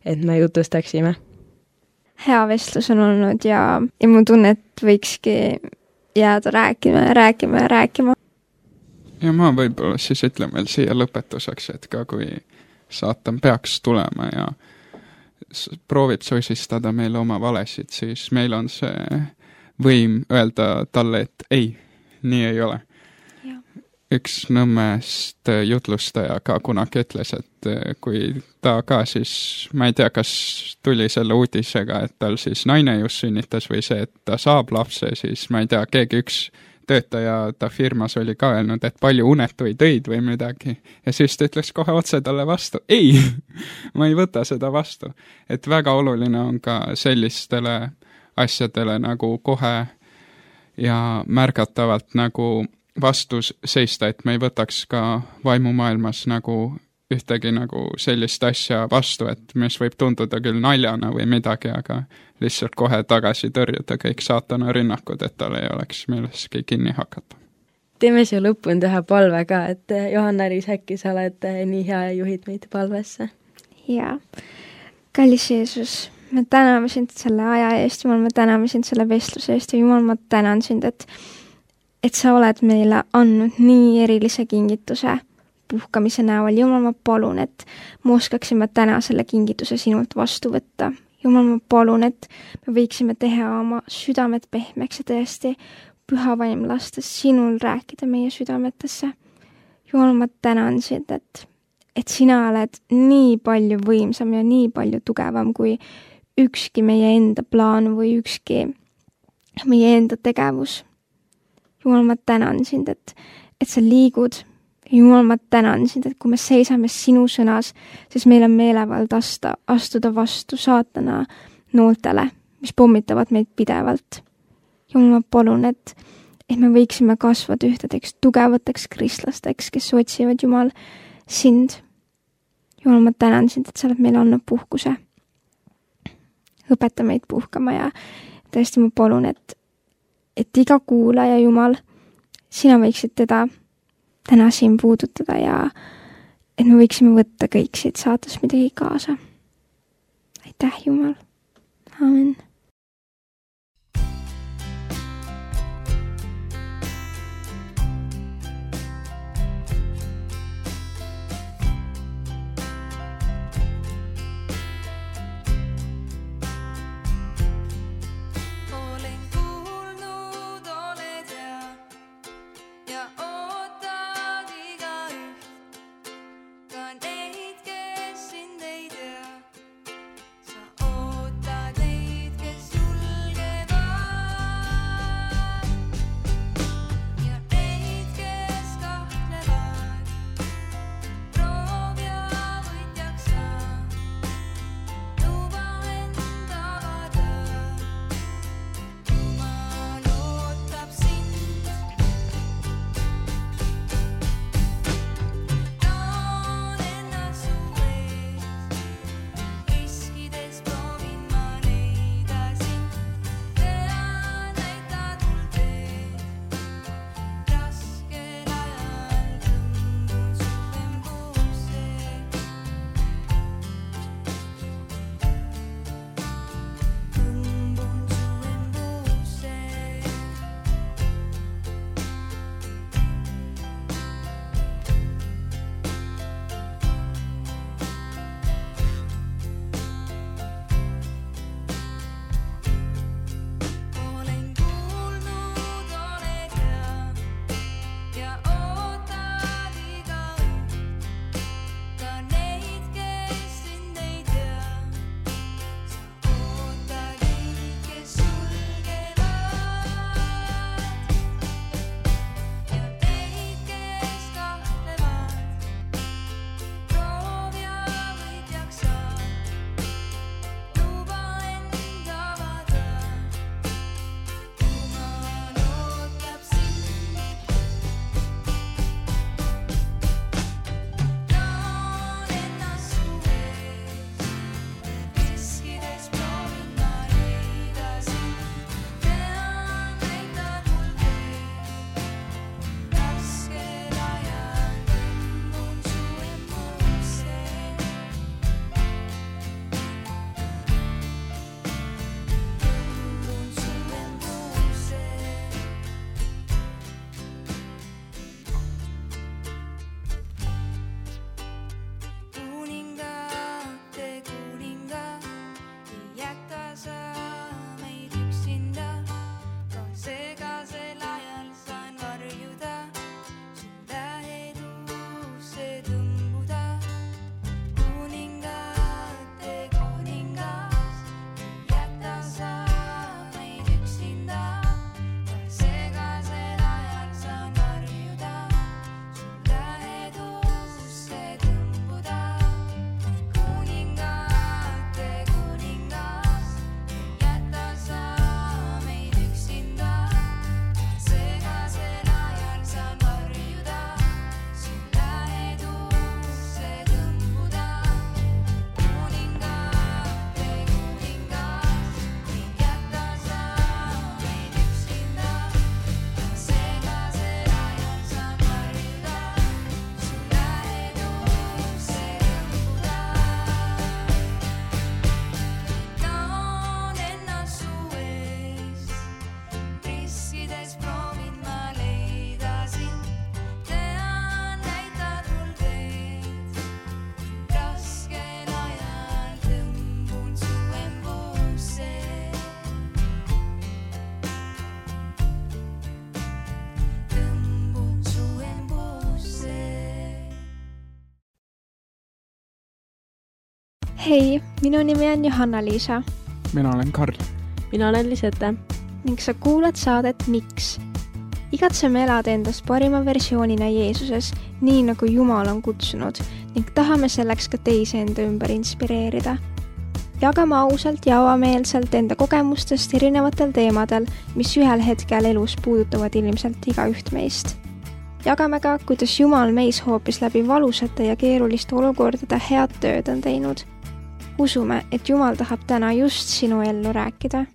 et me jutustaksime. Hea vestlus on olnud ja, ja mu tunne, et võikski jääda rääkima ja rääkima ja rääkima. Ja ma võib-olla siis ütlen veel siia lõpetuseks, et ka kui saatan peaks tulema ja proovib sosistada meile oma valesid, siis meil on see võim öelda talle, et ei, nii ei ole. üks Nõmmest jutlustaja ka kunagi ütles, et kui ta ka siis, ma ei tea, kas tuli selle uudisega, et tal siis naine just sünnitas või see, et ta saab lapse, siis ma ei tea, keegi üks töötaja ta firmas oli ka öelnud, et palju unetuid öid või midagi. Ja siis ta ütles kohe otse talle vastu, ei, ma ei võta seda vastu. Et väga oluline on ka sellistele asjadele nagu kohe ja märgatavalt nagu vastus seista, et me ei võtaks ka vaimumaailmas nagu ühtegi nagu sellist asja vastu, et mis võib tunduda küll naljana või midagi, aga lihtsalt kohe tagasi tõrjuda kõik saatana rünnakud, et tal ei oleks milleski kinni hakata. Teeme siia lõpuni teha palve ka, et Johanna-Liis, äkki sa oled nii hea ja juhid meid palvesse? Jaa. Kallis Jeesus, me täname sind selle aja eest, Jumal, me täname sind selle vestluse eest ja Jumal, ma tänan sind, et et sa oled meile andnud nii erilise kingituse puhkamise näol. Jumal, ma palun, et me oskaksime täna selle kingituse sinult vastu võtta. Jumal, ma palun, et me võiksime teha oma südamed pehmeks ja tõesti püha vaim lastes sinul rääkida meie südametesse. Jumal, ma tänan sind, et, et sina oled nii palju võimsam ja nii palju tugevam kui ükski meie enda plaan või ükski meie enda tegevus. Jumal, ma tänan sind, et, et sa liigud. Jumal, ma tänan sind, et kui me seisame sinu sõnas, siis meil on meelevald asta, astuda vastu saatana nooltele, mis pommitavad meid pidevalt. Jumal, ma palun, et, et me võiksime kasvada ühtedeks tugevateks kristlasteks, kes otsivad Jumal sind. Jumal, ma tänan sind, et sa oled meile andnud puhkuse. Õpeta meid puhkama ja tõesti ma palun, et et iga kuulaja, Jumal, sina võiksid teda täna siin puudutada ja et me võiksime võtta kõik siit saates midagi kaasa. Aitäh, Jumal. Amen. Neid, Hei, minu nimi on Johanna-Liisa. Mina olen Karl. Mina olen Lisette. Ning sa kuulad saadet Miks? Igatseme elada endast parima versioonina Jeesuses, nii nagu Jumal on kutsunud, ning tahame selleks ka teisi enda ümber inspireerida. Jagame ausalt ja avameelselt enda kogemustest erinevatel teemadel, mis ühel hetkel elus puudutavad ilmselt igaüht meist. Jagame ka, kuidas Jumal meis hoopis läbi valusate ja keeruliste olukordade head tööd on teinud. Usume, et Jumal tahab täna just sinu ellu rääkida.